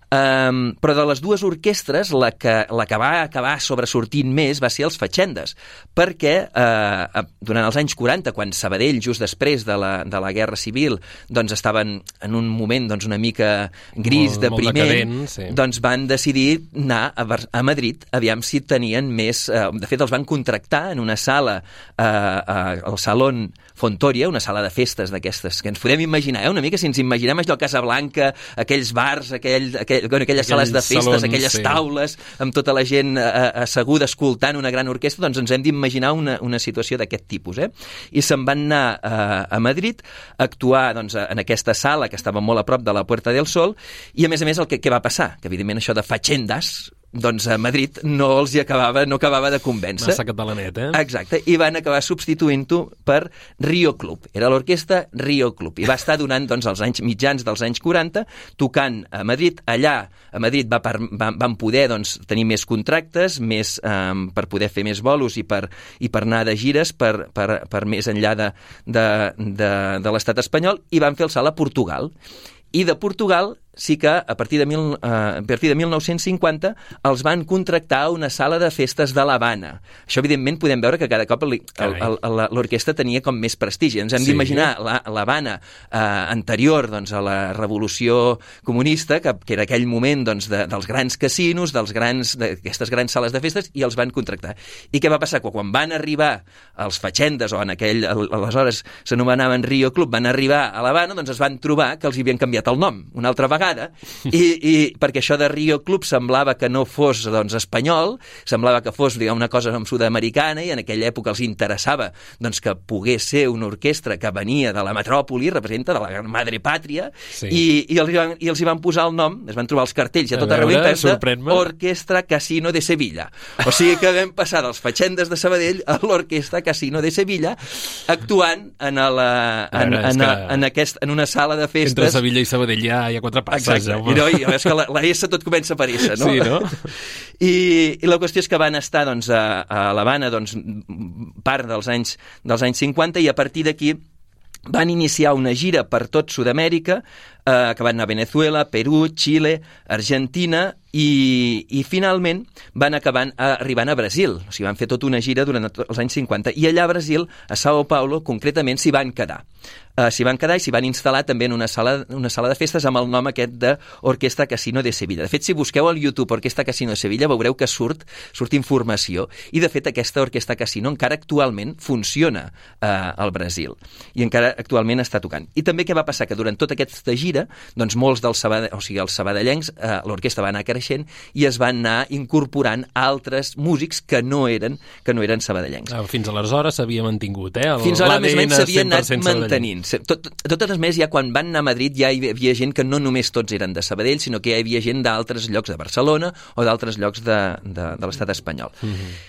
Um, però de les dues orquestres la que, la que va acabar sobresortint més va ser els fatxendes, perquè uh, durant els anys quaranta, quan Sabadell, just després de la, de la Guerra Civil, doncs estaven en un moment doncs, una mica gris, molt, depriment, molt decadent, sí. Doncs van decidir anar a, a Madrid, aviam si tenien més... Uh, de fet, els van contractar en una sala, uh, uh, el Salón Fontoria, una sala de festes d'aquestes, que ens podem imaginar, eh? Una mica si ens imaginem allò a Casablanca, aquells bars, aquell, aquell, bueno, aquelles aquells sales de festes, salons, aquelles sí. taules, amb tota la gent eh, asseguda escoltant una gran orquestra, doncs ens hem d'imaginar una, una situació d'aquest tipus. Eh? I se'n van anar eh, a Madrid a actuar doncs, en aquesta sala que estava molt a prop de la Puerta del Sol, i a més a més el que, què va passar? Que evidentment això de fatxendas doncs a Madrid no els hi acabava, no acabava de convèncer. Massa catalanet, eh? Exacte, i van acabar substituint-ho per Rio Club. Era l'orquestra Rio Club, i va estar donant doncs, els anys mitjans dels anys quaranta, tocant a Madrid. Allà, a Madrid, va per, va, van poder doncs, tenir més contractes, més, um, per poder fer més bolos i per, i per anar de gires per, per, per més enllà de, de, de, de l'estat espanyol, i van fer el salt a Portugal. I de Portugal sí que a partir de, mil, uh, a partir de mil nou-cents cinquanta els van contractar a una sala de festes de l'Havana. Això, evidentment, podem veure que cada cop l'orquestra tenia com més prestigi. Ens hem sí. d'imaginar l'Havana uh, anterior doncs, a la revolució comunista, que, que era aquell moment doncs, de, dels grans casinos, dels grans, d'aquestes grans sales de festes, i els van contractar. I què va passar? Quan van arribar els fatxendes, o en aquell, aleshores s'anomenaven Rio Club, van arribar a l'Havana, doncs es van trobar que els hi havien canviat el nom una altra vegada, I, i perquè això de Rio Club semblava que no fos doncs, espanyol, semblava que fos diguem, una cosa sud-americana, i en aquella època els interessava doncs, que pogués ser una orquestra que venia de la metròpoli, representa de la madre pàtria, sí. i, i, els van, i els hi van posar el nom, es van trobar els cartells a tot arreu internet, Orquestra Casino de Sevilla. O sigui que vam passar dels fatxendes de Sabadell a l'Orquestra Casino de Sevilla, actuant en, la, en, veure, en, en, en, aquest, en una sala de festes. Entre Sevilla i Sabadell hi ha, hi ha quatre passes. Exacte, i, no, i és que la, la S tot comença per S, no? Sí, no? I, i la qüestió és que van estar doncs, a, a l'Havana doncs, part dels anys, dels anys cinquanta, i a partir d'aquí van iniciar una gira per tot Sud-amèrica, eh, que van anar a Venezuela, Perú, Xile, Argentina, i, i finalment van acabar arribant a Brasil. O sigui, van fer tota una gira durant els anys cinquanta, i allà a Brasil, a Sao Paulo, concretament, s'hi van quedar. Uh, s'hi van quedar i s'hi van instal·lar també en una sala, una sala de festes amb el nom aquest d'Orquestra Casino de Sevilla. De fet, si busqueu al YouTube Orquestra Casino de Sevilla, veureu que surt, surt informació, i de fet aquesta Orquestra Casino encara actualment funciona uh, al Brasil, i encara actualment està tocant. I també què va passar? Que durant tota aquesta gira, doncs molts dels sabadell, o sigui, els sabadellencs, uh, l'orquestra va anar creixent i es van anar incorporant altres músics que no eren, que no eren sabadellencs. Ah, fins aleshores s'havia mantingut, eh? El, fins ara més o menys s'havia anat mantenint. Tot, totes més, ja quan van anar a Madrid ja hi havia gent que no només tots eren de Sabadell, sinó que hi havia gent d'altres llocs de Barcelona o d'altres llocs de, de, de l'estat espanyol. Mm-hmm.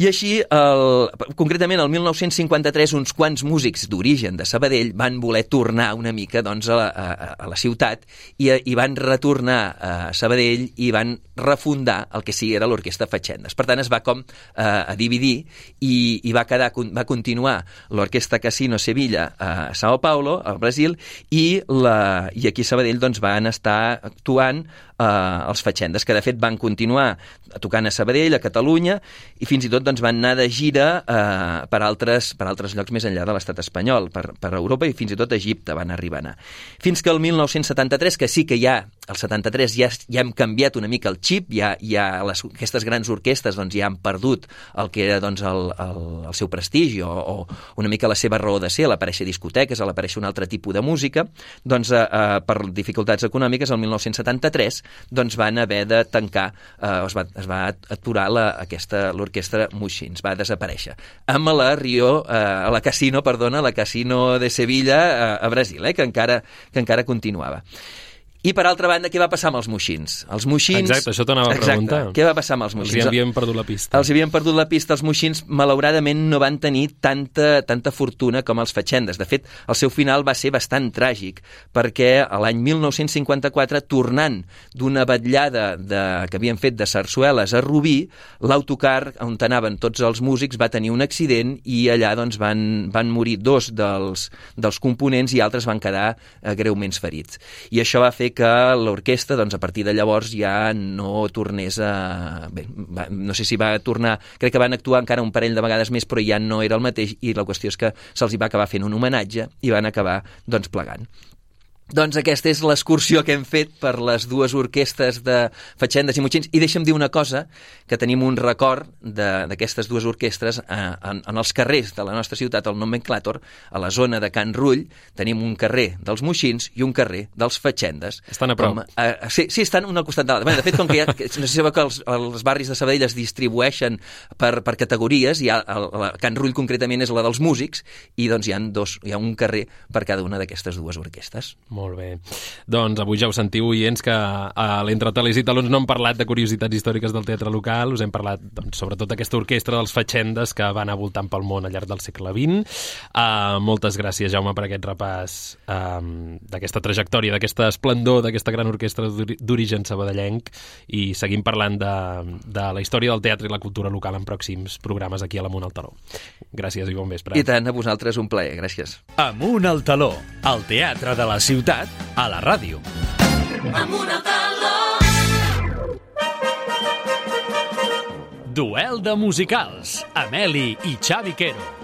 I així, el, concretament, el mil nou-cents cinquanta-tres, uns quants músics d'origen de Sabadell van voler tornar una mica doncs, a, la, a, a la ciutat i, i van retornar a Sabadell i van refundar el que sí era l'Orquestra Fatxendes. Per tant, es va com eh, a dividir i, i va, quedar, va continuar l'Orquestra Casino Sevilla a Sao Paulo, al Brasil, i, la, i aquí a Sabadell doncs, van estar actuant eh, els Fatxendes, que de fet van continuar tocant a Sabadell, a Catalunya, i fins i tot doncs, van anar de gira eh, per, altres, per altres llocs més enllà de l'estat espanyol, per, per Europa, i fins i tot a Egipte van arribar a anar. Fins que el mil nou-cents setanta-tres, que sí que ja, el setanta-tres ja, ja hem canviat una mica el xip, ja, ja les, aquestes grans orquestes doncs, ja han perdut el que era doncs, el, el, el seu prestigi o, o una mica la seva raó de ser, a l'aparèixer discoteques, a l'aparèixer un altre tipus de música, doncs eh, eh, per dificultats econòmiques, el mil nou-cents setanta-tres doncs, van haver de tancar, eh, es, va, es va aturar la, aquesta, l'orquestra Moixins, va desaparèixer. Amb la Rio, eh, a la Casino, perdona, la Casino de Sevilla eh, a Brasil, eh, que encara, que encara continuava. I, per altra banda, què va passar amb els moixins? Els moixins... Exacte, això t'anava a preguntar. Què va passar amb els moixins? Els havien perdut la pista. Els havien perdut la pista. Els moixins, malauradament, no van tenir tanta, tanta fortuna com els fatxendes. De fet, el seu final va ser bastant tràgic, perquè l'any mil nou-cents cinquanta-quatre, tornant d'una vetllada de, que havien fet de sarsueles a Rubí, l'autocar on anaven tots els músics va tenir un accident i allà doncs, van, van morir dos dels, dels components i altres van quedar eh, greument ferits. I això va fer que l'orquestra, doncs, a partir de llavors ja no tornés a... Bé, va, no sé si va tornar... Crec que van actuar encara un parell de vegades més, però ja no era el mateix, i la qüestió és que se'ls va acabar fent un homenatge i van acabar, doncs, plegant. Doncs aquesta és l'excursió que hem fet per les dues orquestres de Fatxendes i Moixins. I deixa'm dir una cosa, que tenim un record d'aquestes dues orquestres eh, en, en els carrers de la nostra ciutat, al Nomenclàtor, a la zona de Can Rull, tenim un carrer dels Moixins i un carrer dels Fatxendes. Estan a prop. Com, eh, sí, sí, estan un al costat de l'altre. De fet, com que, ha, que no sé si sabeu que els, els barris de Sabadell es distribueixen per, per categories, hi ha, el, la Can Rull concretament és la dels músics, i doncs hi ha, dos, hi ha un carrer per cada una d'aquestes dues orquestes. Molt bé. Doncs avui ja ho sentiu, oients, que a l'Entre Talers i Talons no hem parlat de curiositats històriques del teatre local, us hem parlat doncs, sobretot d'aquesta orquestra dels Fatxendes que va anar voltant pel món al llarg del segle vint. Uh, moltes gràcies, Jaume, per aquest repàs um, d'aquesta trajectòria, d'aquesta esplendor, d'aquesta gran orquestra d'origen sabadellenc, i seguim parlant de, de la història del teatre i la cultura local en pròxims programes aquí a l'Amunt al Taló. Gràcies i bon vespre. I tant, a vosaltres un plaer, gràcies. Amunt al Taló, el teatre de la ciutat, a la ràdio. Amunt al Taló. Duel de musicals, Ameli i Xavi Quero.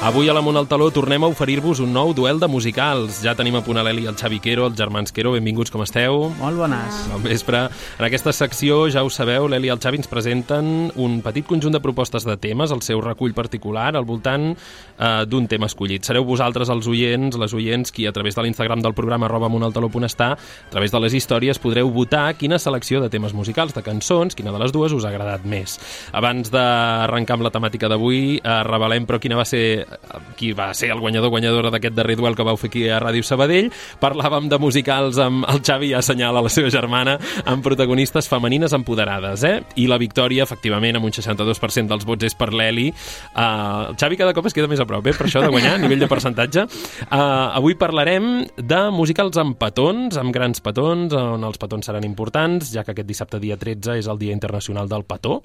Avui a l'Amunt al Taló tornem a oferir-vos un nou duel de musicals. Ja tenim a punt a l'Eli i el Xavi Quero, els germans Quero. Benvinguts, com esteu? Molt bones. Bon vespre. En aquesta secció, ja ho sabeu, l'Eli i el Xavi ens presenten un petit conjunt de propostes de temes, el seu recull particular, al voltant eh, d'un tema escollit. Sereu vosaltres els oients, les oients, qui a través de l'Instagram del programa arroba amuntaltaló.està, a través de les històries, podreu votar quina selecció de temes musicals, de cançons, quina de les dues us ha agradat més. Abans d'arrencar amb la temàtica d'avui, eh, revelem però quina va ser qui va ser el guanyador guanyadora d'aquest darrer duel que vau fer aquí a Ràdio Sabadell. Parlàvem de musicals amb el Xavi, ja assenyala la seva germana, amb protagonistes femenines empoderades, eh? I la victòria, efectivament, amb un seixanta-dos per cent dels vots és per l'Eli. Uh, el Xavi cada cop es queda més a prop, eh? Per això de guanyar, a nivell de percentatge. Uh, avui parlarem de musicals amb petons, amb grans petons, on els petons seran importants, ja que aquest dissabte, dia tretze, és el Dia Internacional del Petó.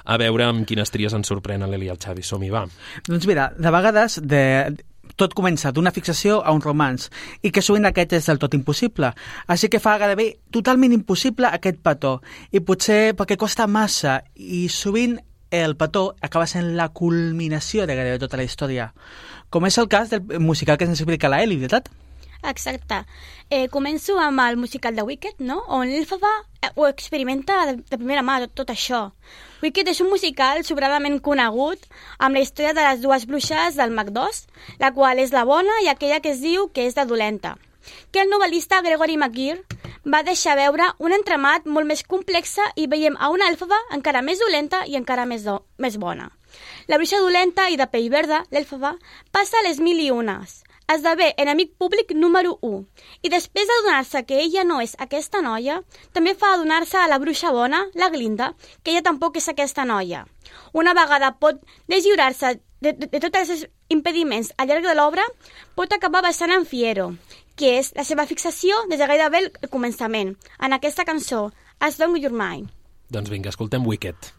A veure amb quines tries ens sorprenen l'Eli i el Xavi. Som-hi, va. Doncs mira, de vegades de... tot comença d'una fixació a un romanç, i que sovint aquest és del tot impossible. Així que fa gairebé totalment impossible aquest petó, i potser perquè costa massa, i sovint el petó acaba sent la culminació de gairebé tota la història. Com és el cas del musical que ens explica la Eli, veritat? Exacte. Eh, començo amb el musical de Wicked, no? On l'Elfaba ho experimenta de, de primera mà, tot, tot això. Wicked és un musical sobradament conegut amb la història de les dues bruixes del Mac dos, la qual és la bona i aquella que es diu que és la dolenta, que el novel·lista Gregory McGeer va deixar veure un entramat molt més complexa i veiem a una Elfaba encara més dolenta i encara més, do, més bona. La bruixa dolenta i de pell verda, l'Elfaba, passa les mil i unes. Esdevé enemic públic número u, i després d'adonar-se que ella no és aquesta noia, també fa adonar-se a la bruixa bona, la Glinda, que ella tampoc és aquesta noia. Una vegada pot deslliurar-se de, de, de tots els impediments al llarg de l'obra, pot acabar bastant en Fiero, que és la seva fixació des de gairebé el començament, en aquesta cançó, As Long As You're Mine. Doncs vinga, escoltem Wicked.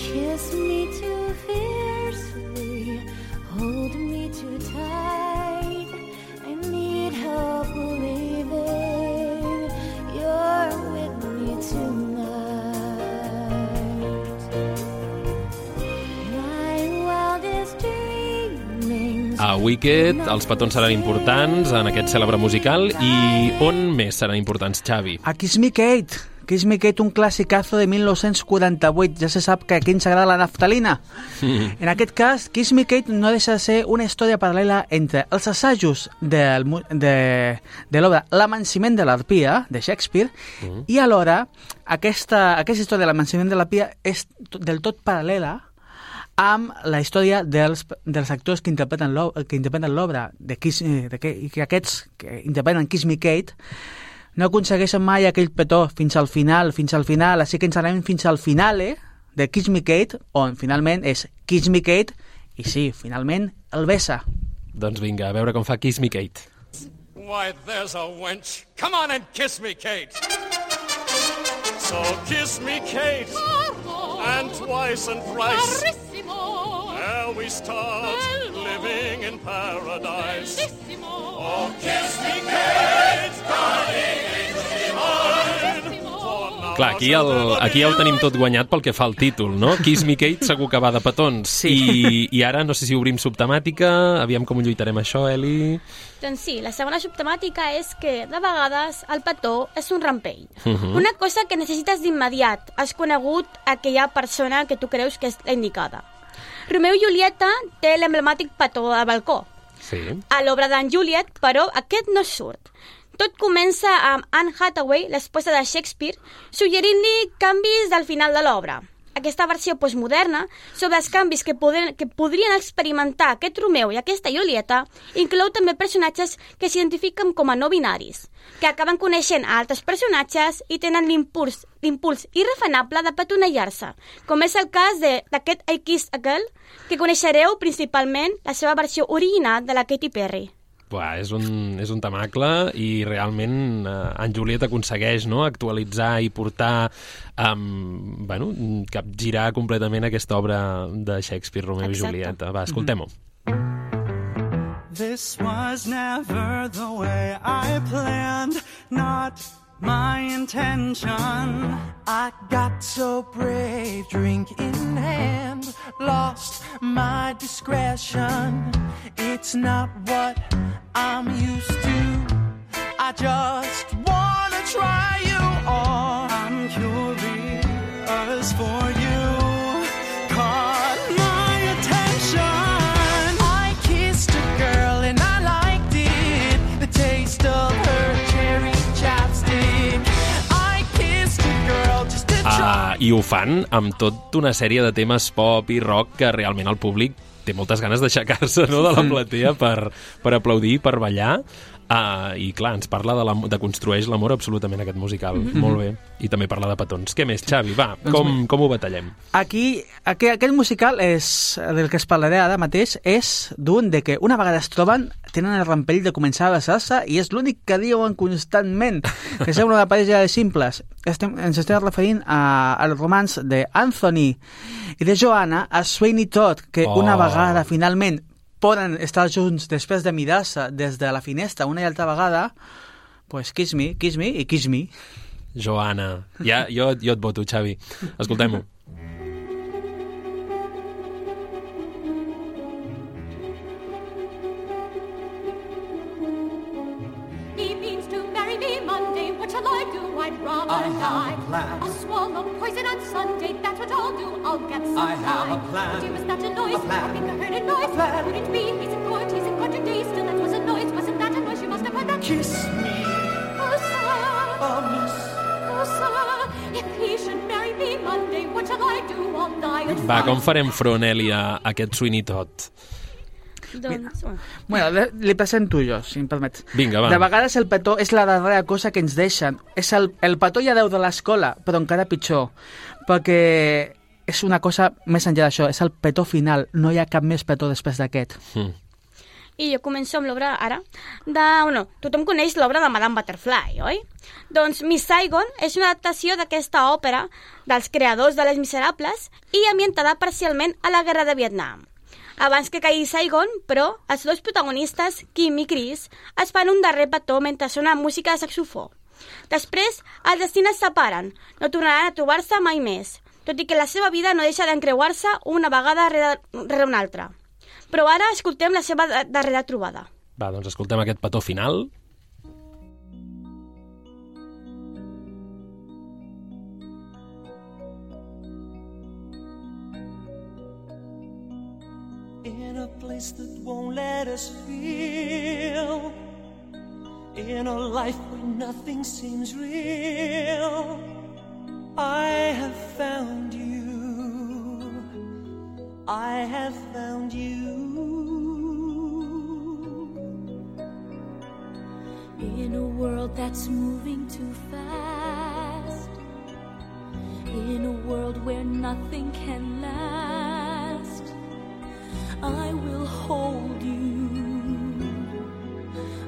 Kiss me too fiercely, hold me too tight. I need help believing you're with me tonight. My wildest dreamings. A Wicked els petons seran importants en aquest cèlebre musical, i on més seran importants, Xavi? A Kiss Me Kate. Kiss Me Kate, un clàssicazo de mil nou-cents quaranta-vuit. Ja se sap que aquí ens agrada la naftalina. Mm. En aquest cas, Kiss Me Kate no deixa de ser una història paral·lela entre els assajos del, de, de l'obra L'Amanciment de l'Arpia, de Shakespeare, mm. i alhora aquesta, aquesta història de l'Amanciment de l'Arpia és del tot paral·lela amb la història dels, dels actors que interpreten l'obra, de Kiss, de que, que aquests que interpreten Kiss Me Kate no aconsegueixen mai aquell petó fins al final, fins al final, així que ens anem fins al finale de Kiss Me Kate, on finalment és Kiss Me Kate, i sí, finalment el besa. Doncs vinga, a veure com fa Kiss Me Kate. Why, there's a wench. Come on and kiss me, Kate. So kiss me, Kate, and twice and thrice, ere we start living in paradise. Oh, kiss me, Kate, darling angel divine, for Clar, aquí, el, aquí ja ho tenim tot guanyat pel que fa al títol, no? Kiss Me Kate segur que va de petons. Sí. I, I ara no sé si obrim subtemàtica, aviam com ho lluitarem això, Eli. Doncs sí, la segona subtemàtica és que, de vegades, el petó és un rampell. Uh -huh. Una cosa que necessites d'immediat. Has conegut aquella persona que tu creus que és la indicada. Romeu i Julieta té l'emblemàtic petó al balcó. Sí. A l'obra d'en Juliet, però, aquest no surt. Tot comença amb Anne Hathaway, l'esposa de Shakespeare, suggerint-li canvis del final de l'obra. Aquesta versió postmoderna sobre els canvis que, poden, que podrien experimentar aquest Romeu i aquesta Julieta inclou també personatges que s'identifiquen com a no binaris, que acaben coneixent a altres personatges i tenen l'impuls l'impuls irrefrenable de petonellar-se, com és el cas d'aquest I Kissed a Girl, que coneixereu principalment la seva versió original de la Katy Perry. Buah, és un, és un temacle i realment eh, en Juliet aconsegueix, no?, actualitzar i portar, um, bueno, capgirar completament aquesta obra de Shakespeare, Romeu i Julieta. Va, escoltem-ho. This was never the way I planned, not my intention. I got so brave, drink in hand, lost my discretion. It's not what I'm used to. I just wanna try you on. I'm curious for you. Caught my attention. I kissed a girl and I liked it. The taste of her cherry chapstick. I kissed a girl just to try. Uh, I ho fan amb tota una sèrie de temes pop i rock que realment el públic té moltes ganes d'aixecar-se, no?, de la platea per, per aplaudir, per ballar. Uh, I clar, ens parla de, la, de construeix l'amor absolutament aquest musical. Mm-hmm. Molt bé. I també parla de petons. Què més, Xavi? Va, com, com ho batallem? Aquí, aquí, aquest musical és, del que es parlaré ara mateix és d'un de que una vegada es troben tenen el rampell de començar a besar-se i és l'únic que diuen constantment, que sembla una parella de simples. Estem, ens estem referint a, al romanç d'Anthony i de Joanna a Sweeney Todd, que oh. una vegada finalment poden estar junts després de mirar-se des de la finestra una i altra vegada, pues kiss me, kiss me i kiss me. Joanna. Ja, jo, jo et voto, Xavi. Escoltem-ho. He means to marry me Monday. What shall I do? I'd rather I have die. a plan. I'll swallow poison on Sunday. That's what I'll do. I'll get some I have high. a plan. Dear, was that a noise? A plan. I think I heard a noise. A plan. Could it be? He's in court. He's in court today. Still, that was a noise. Wasn't that a noise? You must have heard that. Kiss me, Oh, sir. oh miss. Oh, sir. If he should marry me Monday, what shall I do? I'll die of Va, fright. com farem front, Eli, a aquest Sweeney Todd? Doncs, Bueno, li, li presento jo, si em permets. Vinga, va. De vegades el petó és la darrera cosa que ens deixen. És el, el petó ja deu de l'escola, però encara pitjor, perquè és una cosa més enllà d'això, és el petó final. No hi ha cap més petó després d'aquest. Mm. I jo començo amb l'obra ara. De, bueno, tothom coneix l'obra de Madame Butterfly, oi? Doncs Miss Saigon és una adaptació d'aquesta òpera dels creadors de Les Miserables i ambientada parcialment a la Guerra de Vietnam. Abans que caigui Saigon, però, els dos protagonistes, Kim i Chris, es fan un darrer petó mentre sona música de saxofó. Després, els destins es separen, no tornaran a trobar-se mai més, tot i que la seva vida no deixa d'encreuar-se una vegada rere, rere una altra. Però ara escoltem la seva darrera trobada. Va, doncs escoltem aquest petó final. In a place that won't let us feel, in a life where nothing seems real, I have found you, I have found you. In a world that's moving too fast, in a world where nothing can last, I will hold you,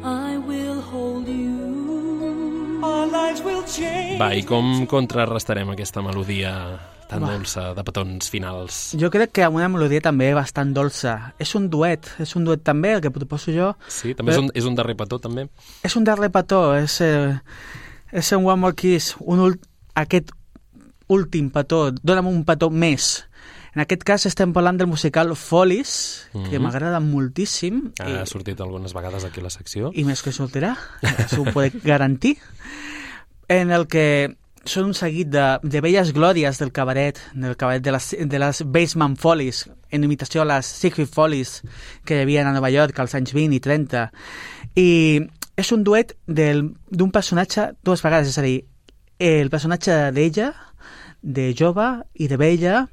I will hold you. Our lives will change. Va, i com contrarrestarem aquesta melodia tan dolça de petons finals? Jo crec que amb una melodia també bastant dolça. És un duet, és un duet també, el que proposo jo. Sí, també és un, és un darrer petó, també. És un darrer petó, és, eh, és un One More Kiss, un, ul aquest últim petó, dona'm un petó més. En aquest cas estem parlant del musical Follies, que Mm-hmm. m'agrada moltíssim. Ha i, sortit algunes vegades aquí a la secció. I més que sortirà, això ho puc garantir. En el que són un seguit de, de velles glòries del cabaret, del cabaret de les, de les Basement Follies, en imitació a les Secret Follies que hi havia a Nova York als anys vint i trenta. I és un duet del- d'un personatge dues vegades, és a dir, el personatge d'ella, de jove i de vella,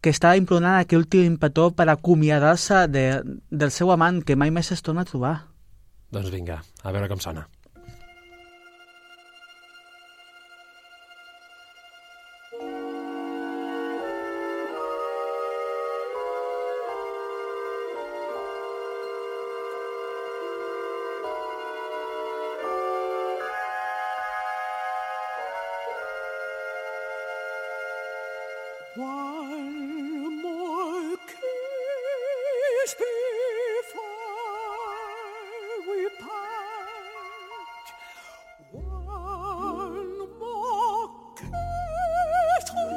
que està implorant aquell últim petó per acomiadar-se de, del seu amant que mai més es torna a trobar. Doncs vinga, a veure com sona. One more kiss before we part. One more kiss on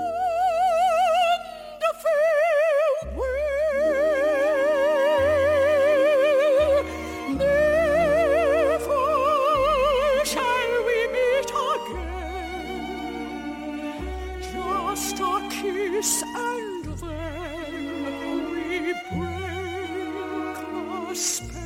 the farewell. Never shall we meet again. Just a kiss and then we break the spell.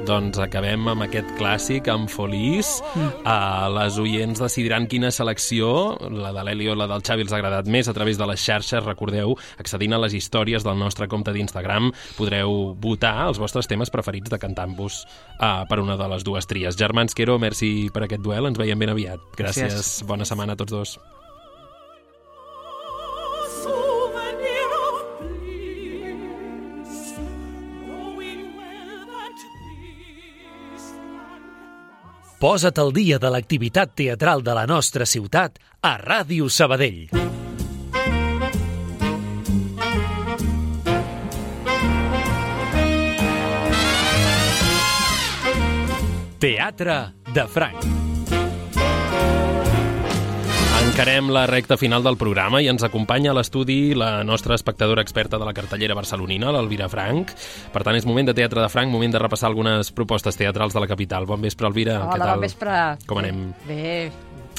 Doncs acabem amb aquest clàssic, amb Follies. Uh, les oients decidiran quina selecció, la de l'Eli o la del Xavi, els ha agradat més a través de les xarxes. Recordeu, accedint a les històries del nostre compte d'Instagram, podreu votar els vostres temes preferits de cantant-vos uh, per una de les dues tries. Germans Quero, merci per aquest duel, ens veiem ben aviat. Gràcies, Gràcies. bona setmana a tots dos. Souvenir of bliss, knowing well that this land must. Posa't al dia de l'activitat teatral de la nostra ciutat a Ràdio Sabadell. Teatre de Franc. Encarem la recta final del programa i ens acompanya a l'estudi la nostra espectadora experta de la cartellera barcelonina, l'Elvira Frank. Per tant, és moment de Teatre de Franc, moment de repassar algunes propostes teatrals de la capital. Bon vespre, Elvira. Què Hola, tal? bon vespre. Com anem? Bé,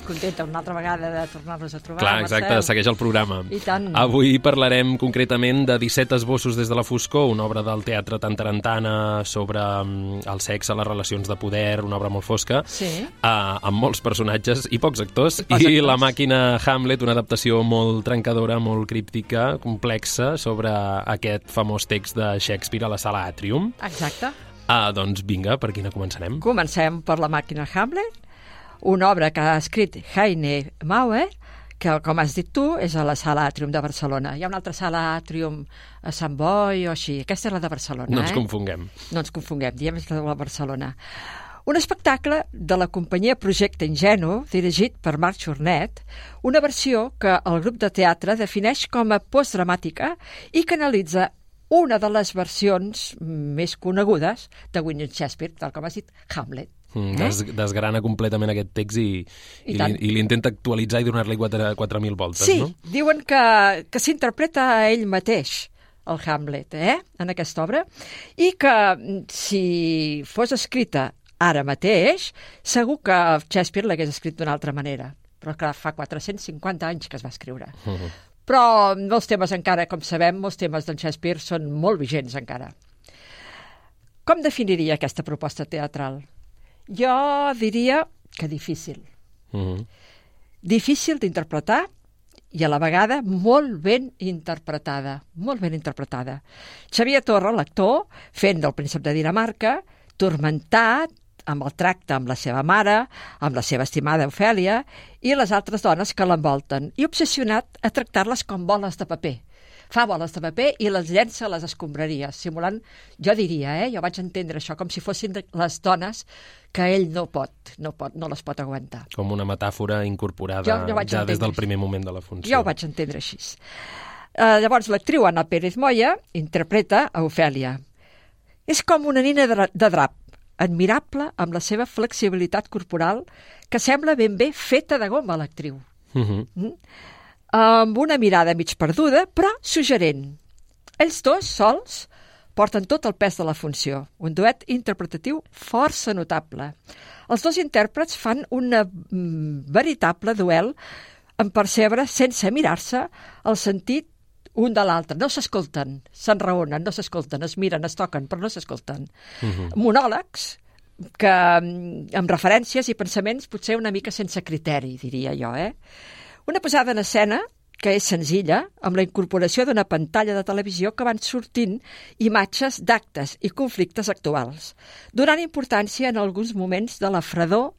contenta una altra vegada de tornar-nos a trobar, Clar, exacte, Marcel. segueix el programa. I tant. Avui parlarem concretament de disset esbossos des de la foscor, una obra del teatre Tantarantana sobre mm, el sexe, les relacions de poder, una obra molt fosca, Sí. uh, amb molts personatges i pocs actors, i, pocs actors. La màquina Hamlet, una adaptació molt trencadora, molt críptica, complexa, sobre aquest famós text de Shakespeare a la sala Atrium. Exacte. Uh, doncs vinga, per quina començarem? Comencem per la màquina Hamlet, una obra que ha escrit Heine Mauer, que, com has dit tu, és a la sala Atrium de Barcelona. Hi ha una altra sala Atrium a Sant Boi o així. Aquesta és la de Barcelona, No ens eh? confonguem. No ens confonguem, diem és la de la Barcelona. Un espectacle de la companyia Projecte Ingenu, dirigit per Marc Jornet, una versió que el grup de teatre defineix com a postdramàtica i que analitza una de les versions més conegudes de William Shakespeare, tal com has dit, Hamlet. Mm, des, desgrana completament aquest text i, I i, tant. li, i li intenta actualitzar i donar-li quatre mil voltes, Sí, no? diuen que, que s'interpreta a ell mateix, el Hamlet, eh? en aquesta obra, i que mm, si fos escrita ara mateix, segur que Shakespeare l'hagués escrit d'una altra manera. Però clar, fa quatre-cents cinquanta anys que es va escriure. Uh -huh. Però molts temes encara, com sabem, molts temes d'en Shakespeare són molt vigents encara. Com definiria aquesta proposta teatral? Jo diria que difícil. Uh -huh. Difícil d'interpretar i a la vegada molt ben interpretada. Molt ben interpretada. Xavier Torra, l'actor, fent del príncep de Dinamarca, turmentat amb el tracte amb la seva mare, amb la seva estimada Ofèlia i les altres dones que l'envolten, i obsessionat a tractar-les com boles de paper. Fa boles de paper i les llença a les escombraries, simulant, jo diria, eh, jo vaig entendre això, com si fossin les dones que ell no pot, no pot, no les pot aguantar. Com una metàfora incorporada Jo- jo vaig ja des entendre del primer moment de la funció. Jo ho vaig entendre així. Uh, llavors, l'actriu Anna Pérez Moya interpreta a Ofèlia. És com una nina de, de drap, admirable amb la seva flexibilitat corporal, que sembla ben bé feta de goma, l'actriu. Uh-huh. Mm? Amb una mirada mig perduda, però suggerent. Ells dos, sols, porten tot el pes de la funció. Un duet interpretatiu força notable. Els dos intèrprets fan un mm, veritable duel en percebre, sense mirar-se, el sentit un de l'altre. No s'escolten, s'enraonen, no s'escolten, es miren, es toquen, però no s'escolten. Uh-huh. Monòlegs que, amb referències i pensaments potser una mica sense criteri, diria jo. Eh? Una posada en escena que és senzilla, amb la incorporació d'una pantalla de televisió que van sortint imatges d'actes i conflictes actuals, donant importància en alguns moments de la fredor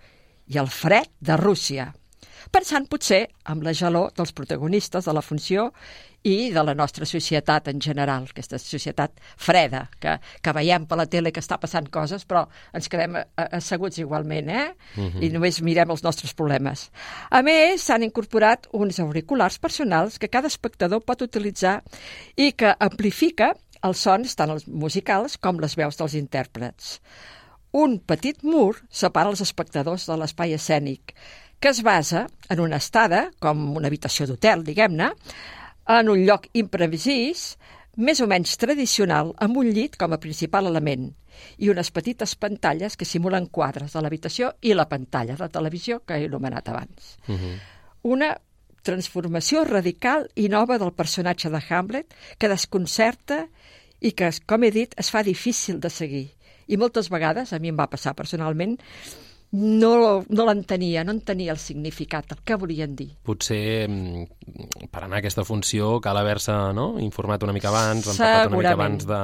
i el fred de Rússia, pensant potser amb la gelor dels protagonistes de la funció i de la nostra societat en general, aquesta societat freda, que, que veiem per la tele que està passant coses, però ens quedem asseguts igualment, eh? Uh-huh. I només mirem els nostres problemes. A més, s'han incorporat uns auriculars personals que cada espectador pot utilitzar i que amplifica els sons, tant els musicals com les veus dels intèrprets. Un petit mur separa els espectadors de l'espai escènic, que es basa en una estada, com una habitació d'hotel, diguem-ne, en un lloc imprevis, més o menys tradicional, amb un llit com a principal element, i unes petites pantalles que simulen quadres de l'habitació i la pantalla de televisió que he anomenat abans. Uh-huh. Una transformació radical i nova del personatge de Hamlet que desconcerta i que, com he dit, es fa difícil de seguir. I moltes vegades, a mi em va passar personalment, no, no l'entenia, no entenia el significat, el que volien dir. Potser per anar a aquesta funció cal haver-se, no?, informat una mica abans, empapat una mica abans de,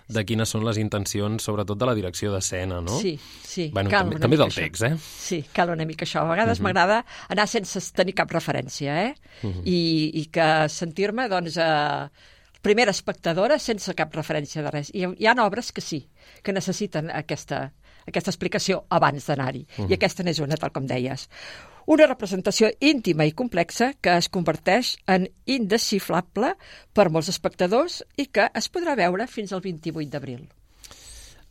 de quines són les intencions, sobretot de la direcció d'escena, no? Sí, sí. Bueno, també, també del text, eh? Sí, cal una mica això. A vegades uh-huh. m'agrada anar sense tenir cap referència, eh? Uh-huh. I, i que sentir-me, doncs, eh, primera espectadora sense cap referència de res. I hi ha obres que sí, que necessiten aquesta... aquesta explicació abans d'anar-hi. Uh-huh. I aquesta n'és una, tal com deies. Una representació íntima i complexa que es converteix en indesxifrable per molts espectadors i que es podrà veure fins al vint-i-vuit d'abril.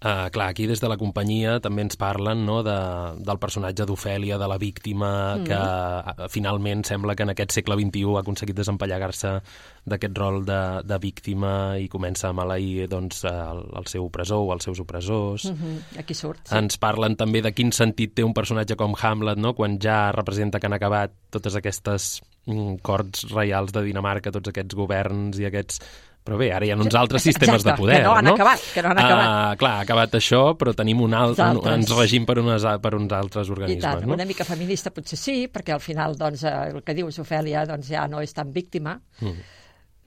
Uh, clar, aquí des de la companyia també ens parlen, no, de, del personatge d'Ofèlia, de la víctima, mm. que uh, finalment sembla que en aquest segle vint-i-u ha aconseguit desempallegar-se d'aquest rol de, de víctima i comença a maleir, doncs, el, el seu opressor o els seus opressors. Mm-hmm. Aquí surt, sí. Ens parlen també de quin sentit té un personatge com Hamlet, no?, quan ja representa que han acabat totes aquestes mm, corts reials de Dinamarca, tots aquests governs i aquests... Però bé, ara hi ha uns altres sistemes Exacte, de poder, que no han no? acabat, que no han acabat. Uh, clar, ha acabat això, però tenim un alt, un, ens regim per, unes, per uns altres organismes. I tant, no? Una mica feminista potser sí, perquè al final, doncs, el que dius Ofèlia, doncs, ja no és tan víctima. Mm.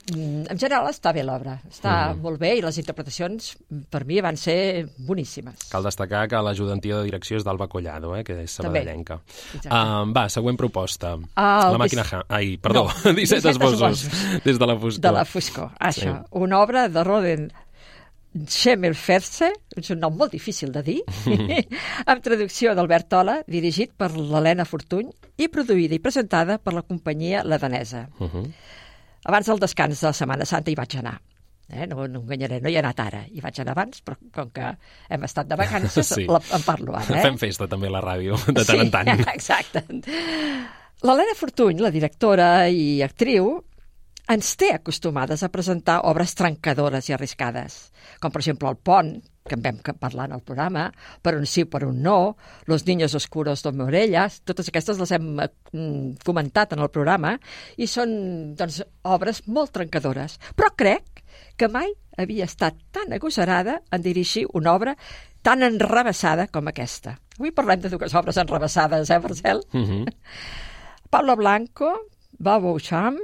En general està bé l'obra, està mm. molt bé i les interpretacions per mi van ser boníssimes. Cal destacar que l'ajudantia de direcció és d'Alba Collado, eh, que és sabadellenca. Uh, va, següent proposta. El la màquina... Ha... Ai, perdó, no, disset esbossos des de la foscor. De la foscor, això. Sí. Una obra de Roden Schemmelferse, és un nom molt difícil de dir, amb traducció d'Albert Tola, dirigit per l'Helena Fortuny i produïda i presentada per la companyia La Danesa. Uh-huh. Abans del descans de la Setmana Santa hi vaig anar. Eh? No, no enganyaré, no hi he anat ara. Hi vaig anar abans, però com que hem estat de vacances, sí. la, en parlo ara. Eh? Fem festa també a la ràdio, de tant sí, en tant. Exacte. L'Helena Fortuny, la directora i actriu, ens té acostumades a presentar obres trencadores i arriscades, com per exemple El pont, que en vam parlar en el programa, Per un sí, per un no, Los niños oscuros de Morellas, totes aquestes les hem mm, comentat en el programa, i són, doncs, obres molt trencadores. Però crec que mai havia estat tan agosarada en dirigir una obra tan enrevessada com aquesta. Avui parlem de dues obres enrevessades, eh, Marcel? Mm-hmm. Paula Blanco, Babo Cham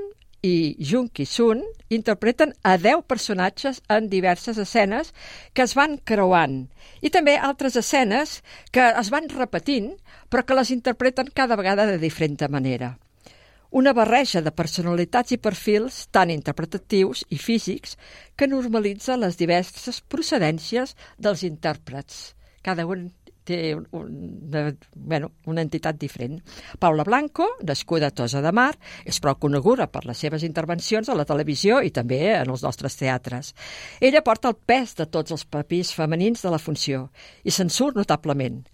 i Jung Ki-sun interpreten a deu personatges en diverses escenes que es van creuant i també altres escenes que es van repetint però que les interpreten cada vegada de diferent manera. Una barreja de personalitats i perfils tan interpretatius i físics que normalitza les diverses procedències dels intèrprets. Cada un té una, bueno, una entitat diferent. Paula Blanco, nascuda a Tossa de Mar, és prou coneguda per les seves intervencions a la televisió i també en els nostres teatres. Ella porta el pes de tots els papers femenins de la funció i se'n surt notablement.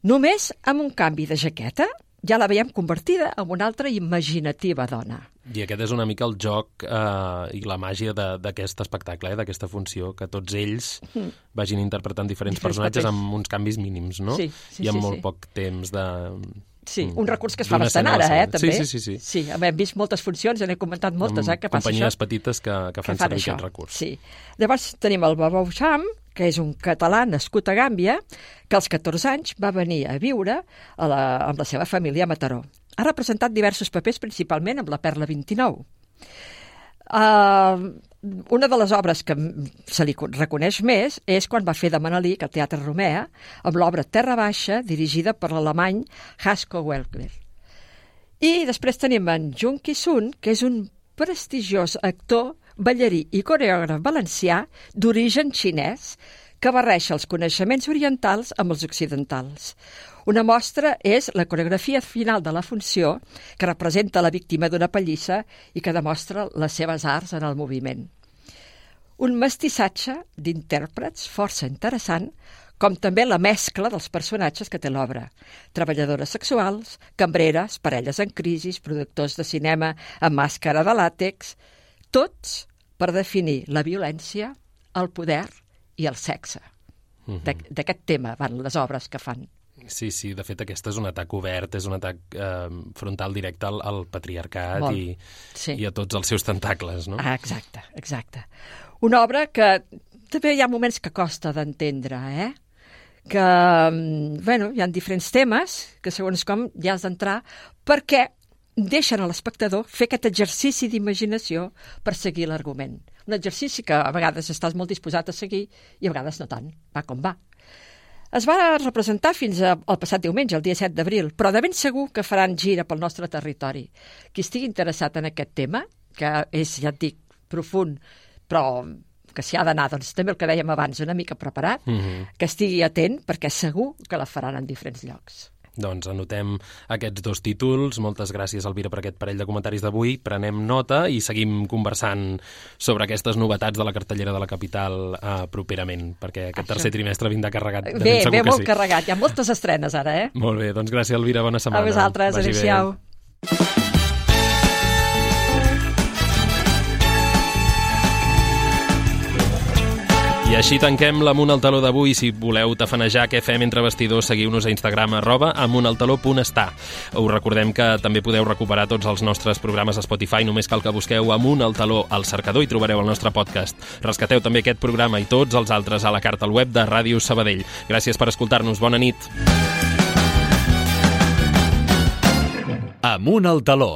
Només amb un canvi de jaqueta ja la veiem convertida en una altra imaginativa dona. I aquest és una mica el joc eh, i la màgia d'aquest espectacle, eh, d'aquesta funció, que tots ells mm. vagin interpretant diferents, diferents personatges papers. Amb uns canvis mínims, no? Sí, sí, I amb sí, molt sí. poc temps de... Sí, un recurs que es fa bastant ara, eh, també. Sí, sí, sí. Sí, hem vist moltes funcions, n'he comentat moltes, eh, que passa companyies això. petites que, que fan, que fan servir això. Aquest recurs. Sí. Llavors tenim el Babou Cham, que és un català nascut a Gàmbia, que als catorze anys va venir a viure a la, amb la seva família a Mataró. Ha representat diversos papers, principalment amb la Perla vint-i-nou. Uh, una de les obres que se li reconeix més és quan va fer de Manelic al Teatre Romea, amb l'obra Terra Baixa, dirigida per l'alemany Hasko Welker. I després tenim en Jung Ki-sun, que és un prestigiós actor, ballarí i coreògraf valencià d'origen xinès que barreja els coneixements orientals amb els occidentals. Una mostra és la coreografia final de la funció que representa la víctima d'una pallissa i que demostra les seves arts en el moviment. Un mestissatge d'intèrprets força interessant, com també la mescla dels personatges que té l'obra. Treballadores sexuals, cambreres, parelles en crisi, productors de cinema amb màscara de làtex, tots per definir la violència, el poder i el sexe. Mm-hmm. D'aquest tema van les obres que fan. Sí, sí, de fet aquest és un atac obert, és un atac eh, frontal directe al, al patriarcat i, sí. i a tots els seus tentacles, no? Ah, exacte, exacte. Una obra que també hi ha moments que costa d'entendre, eh? Que, bueno, hi ha diferents temes que segons com ja has d'entrar perquè deixen a l'espectador fer aquest exercici d'imaginació per seguir l'argument. Un exercici que a vegades estàs molt disposat a seguir i a vegades no tant, va com va. Es va representar fins al passat diumenge, el dia set d'abril, però de ben segur que faran gira pel nostre territori. Qui estigui interessat en aquest tema, que és, ja et dic, profund, però que s'hi ha d'anar, doncs també el que dèiem abans, una mica preparat, mm-hmm. que estigui atent, perquè segur que la faran en diferents llocs. Doncs anotem aquests dos títols. Moltes gràcies, Elvira, per aquest parell de comentaris d'avui. Prenem nota i seguim conversant sobre aquestes novetats de la cartellera de la capital eh, properament, perquè aquest Això. tercer trimestre vindrà carregat. De bé, ben bé, molt sí. carregat. Hi ha moltes estrenes ara, eh? Molt bé, doncs gràcies, Elvira. Bona setmana. A vosaltres, adéu-siau. I així tanquem l'Amunt al Taló d'avui. Si voleu tafanejar què fem entre vestidors, seguiu-nos a Instagram arroba amuntaltaló.està. Us recordem que també podeu recuperar tots els nostres programes a Spotify. Només cal que busqueu Amunt al Taló al cercador i trobareu el nostre podcast. Rescateu també aquest programa i tots els altres a la carta al web de Ràdio Sabadell. Gràcies per escoltar-nos. Bona nit. Amunt al Taló.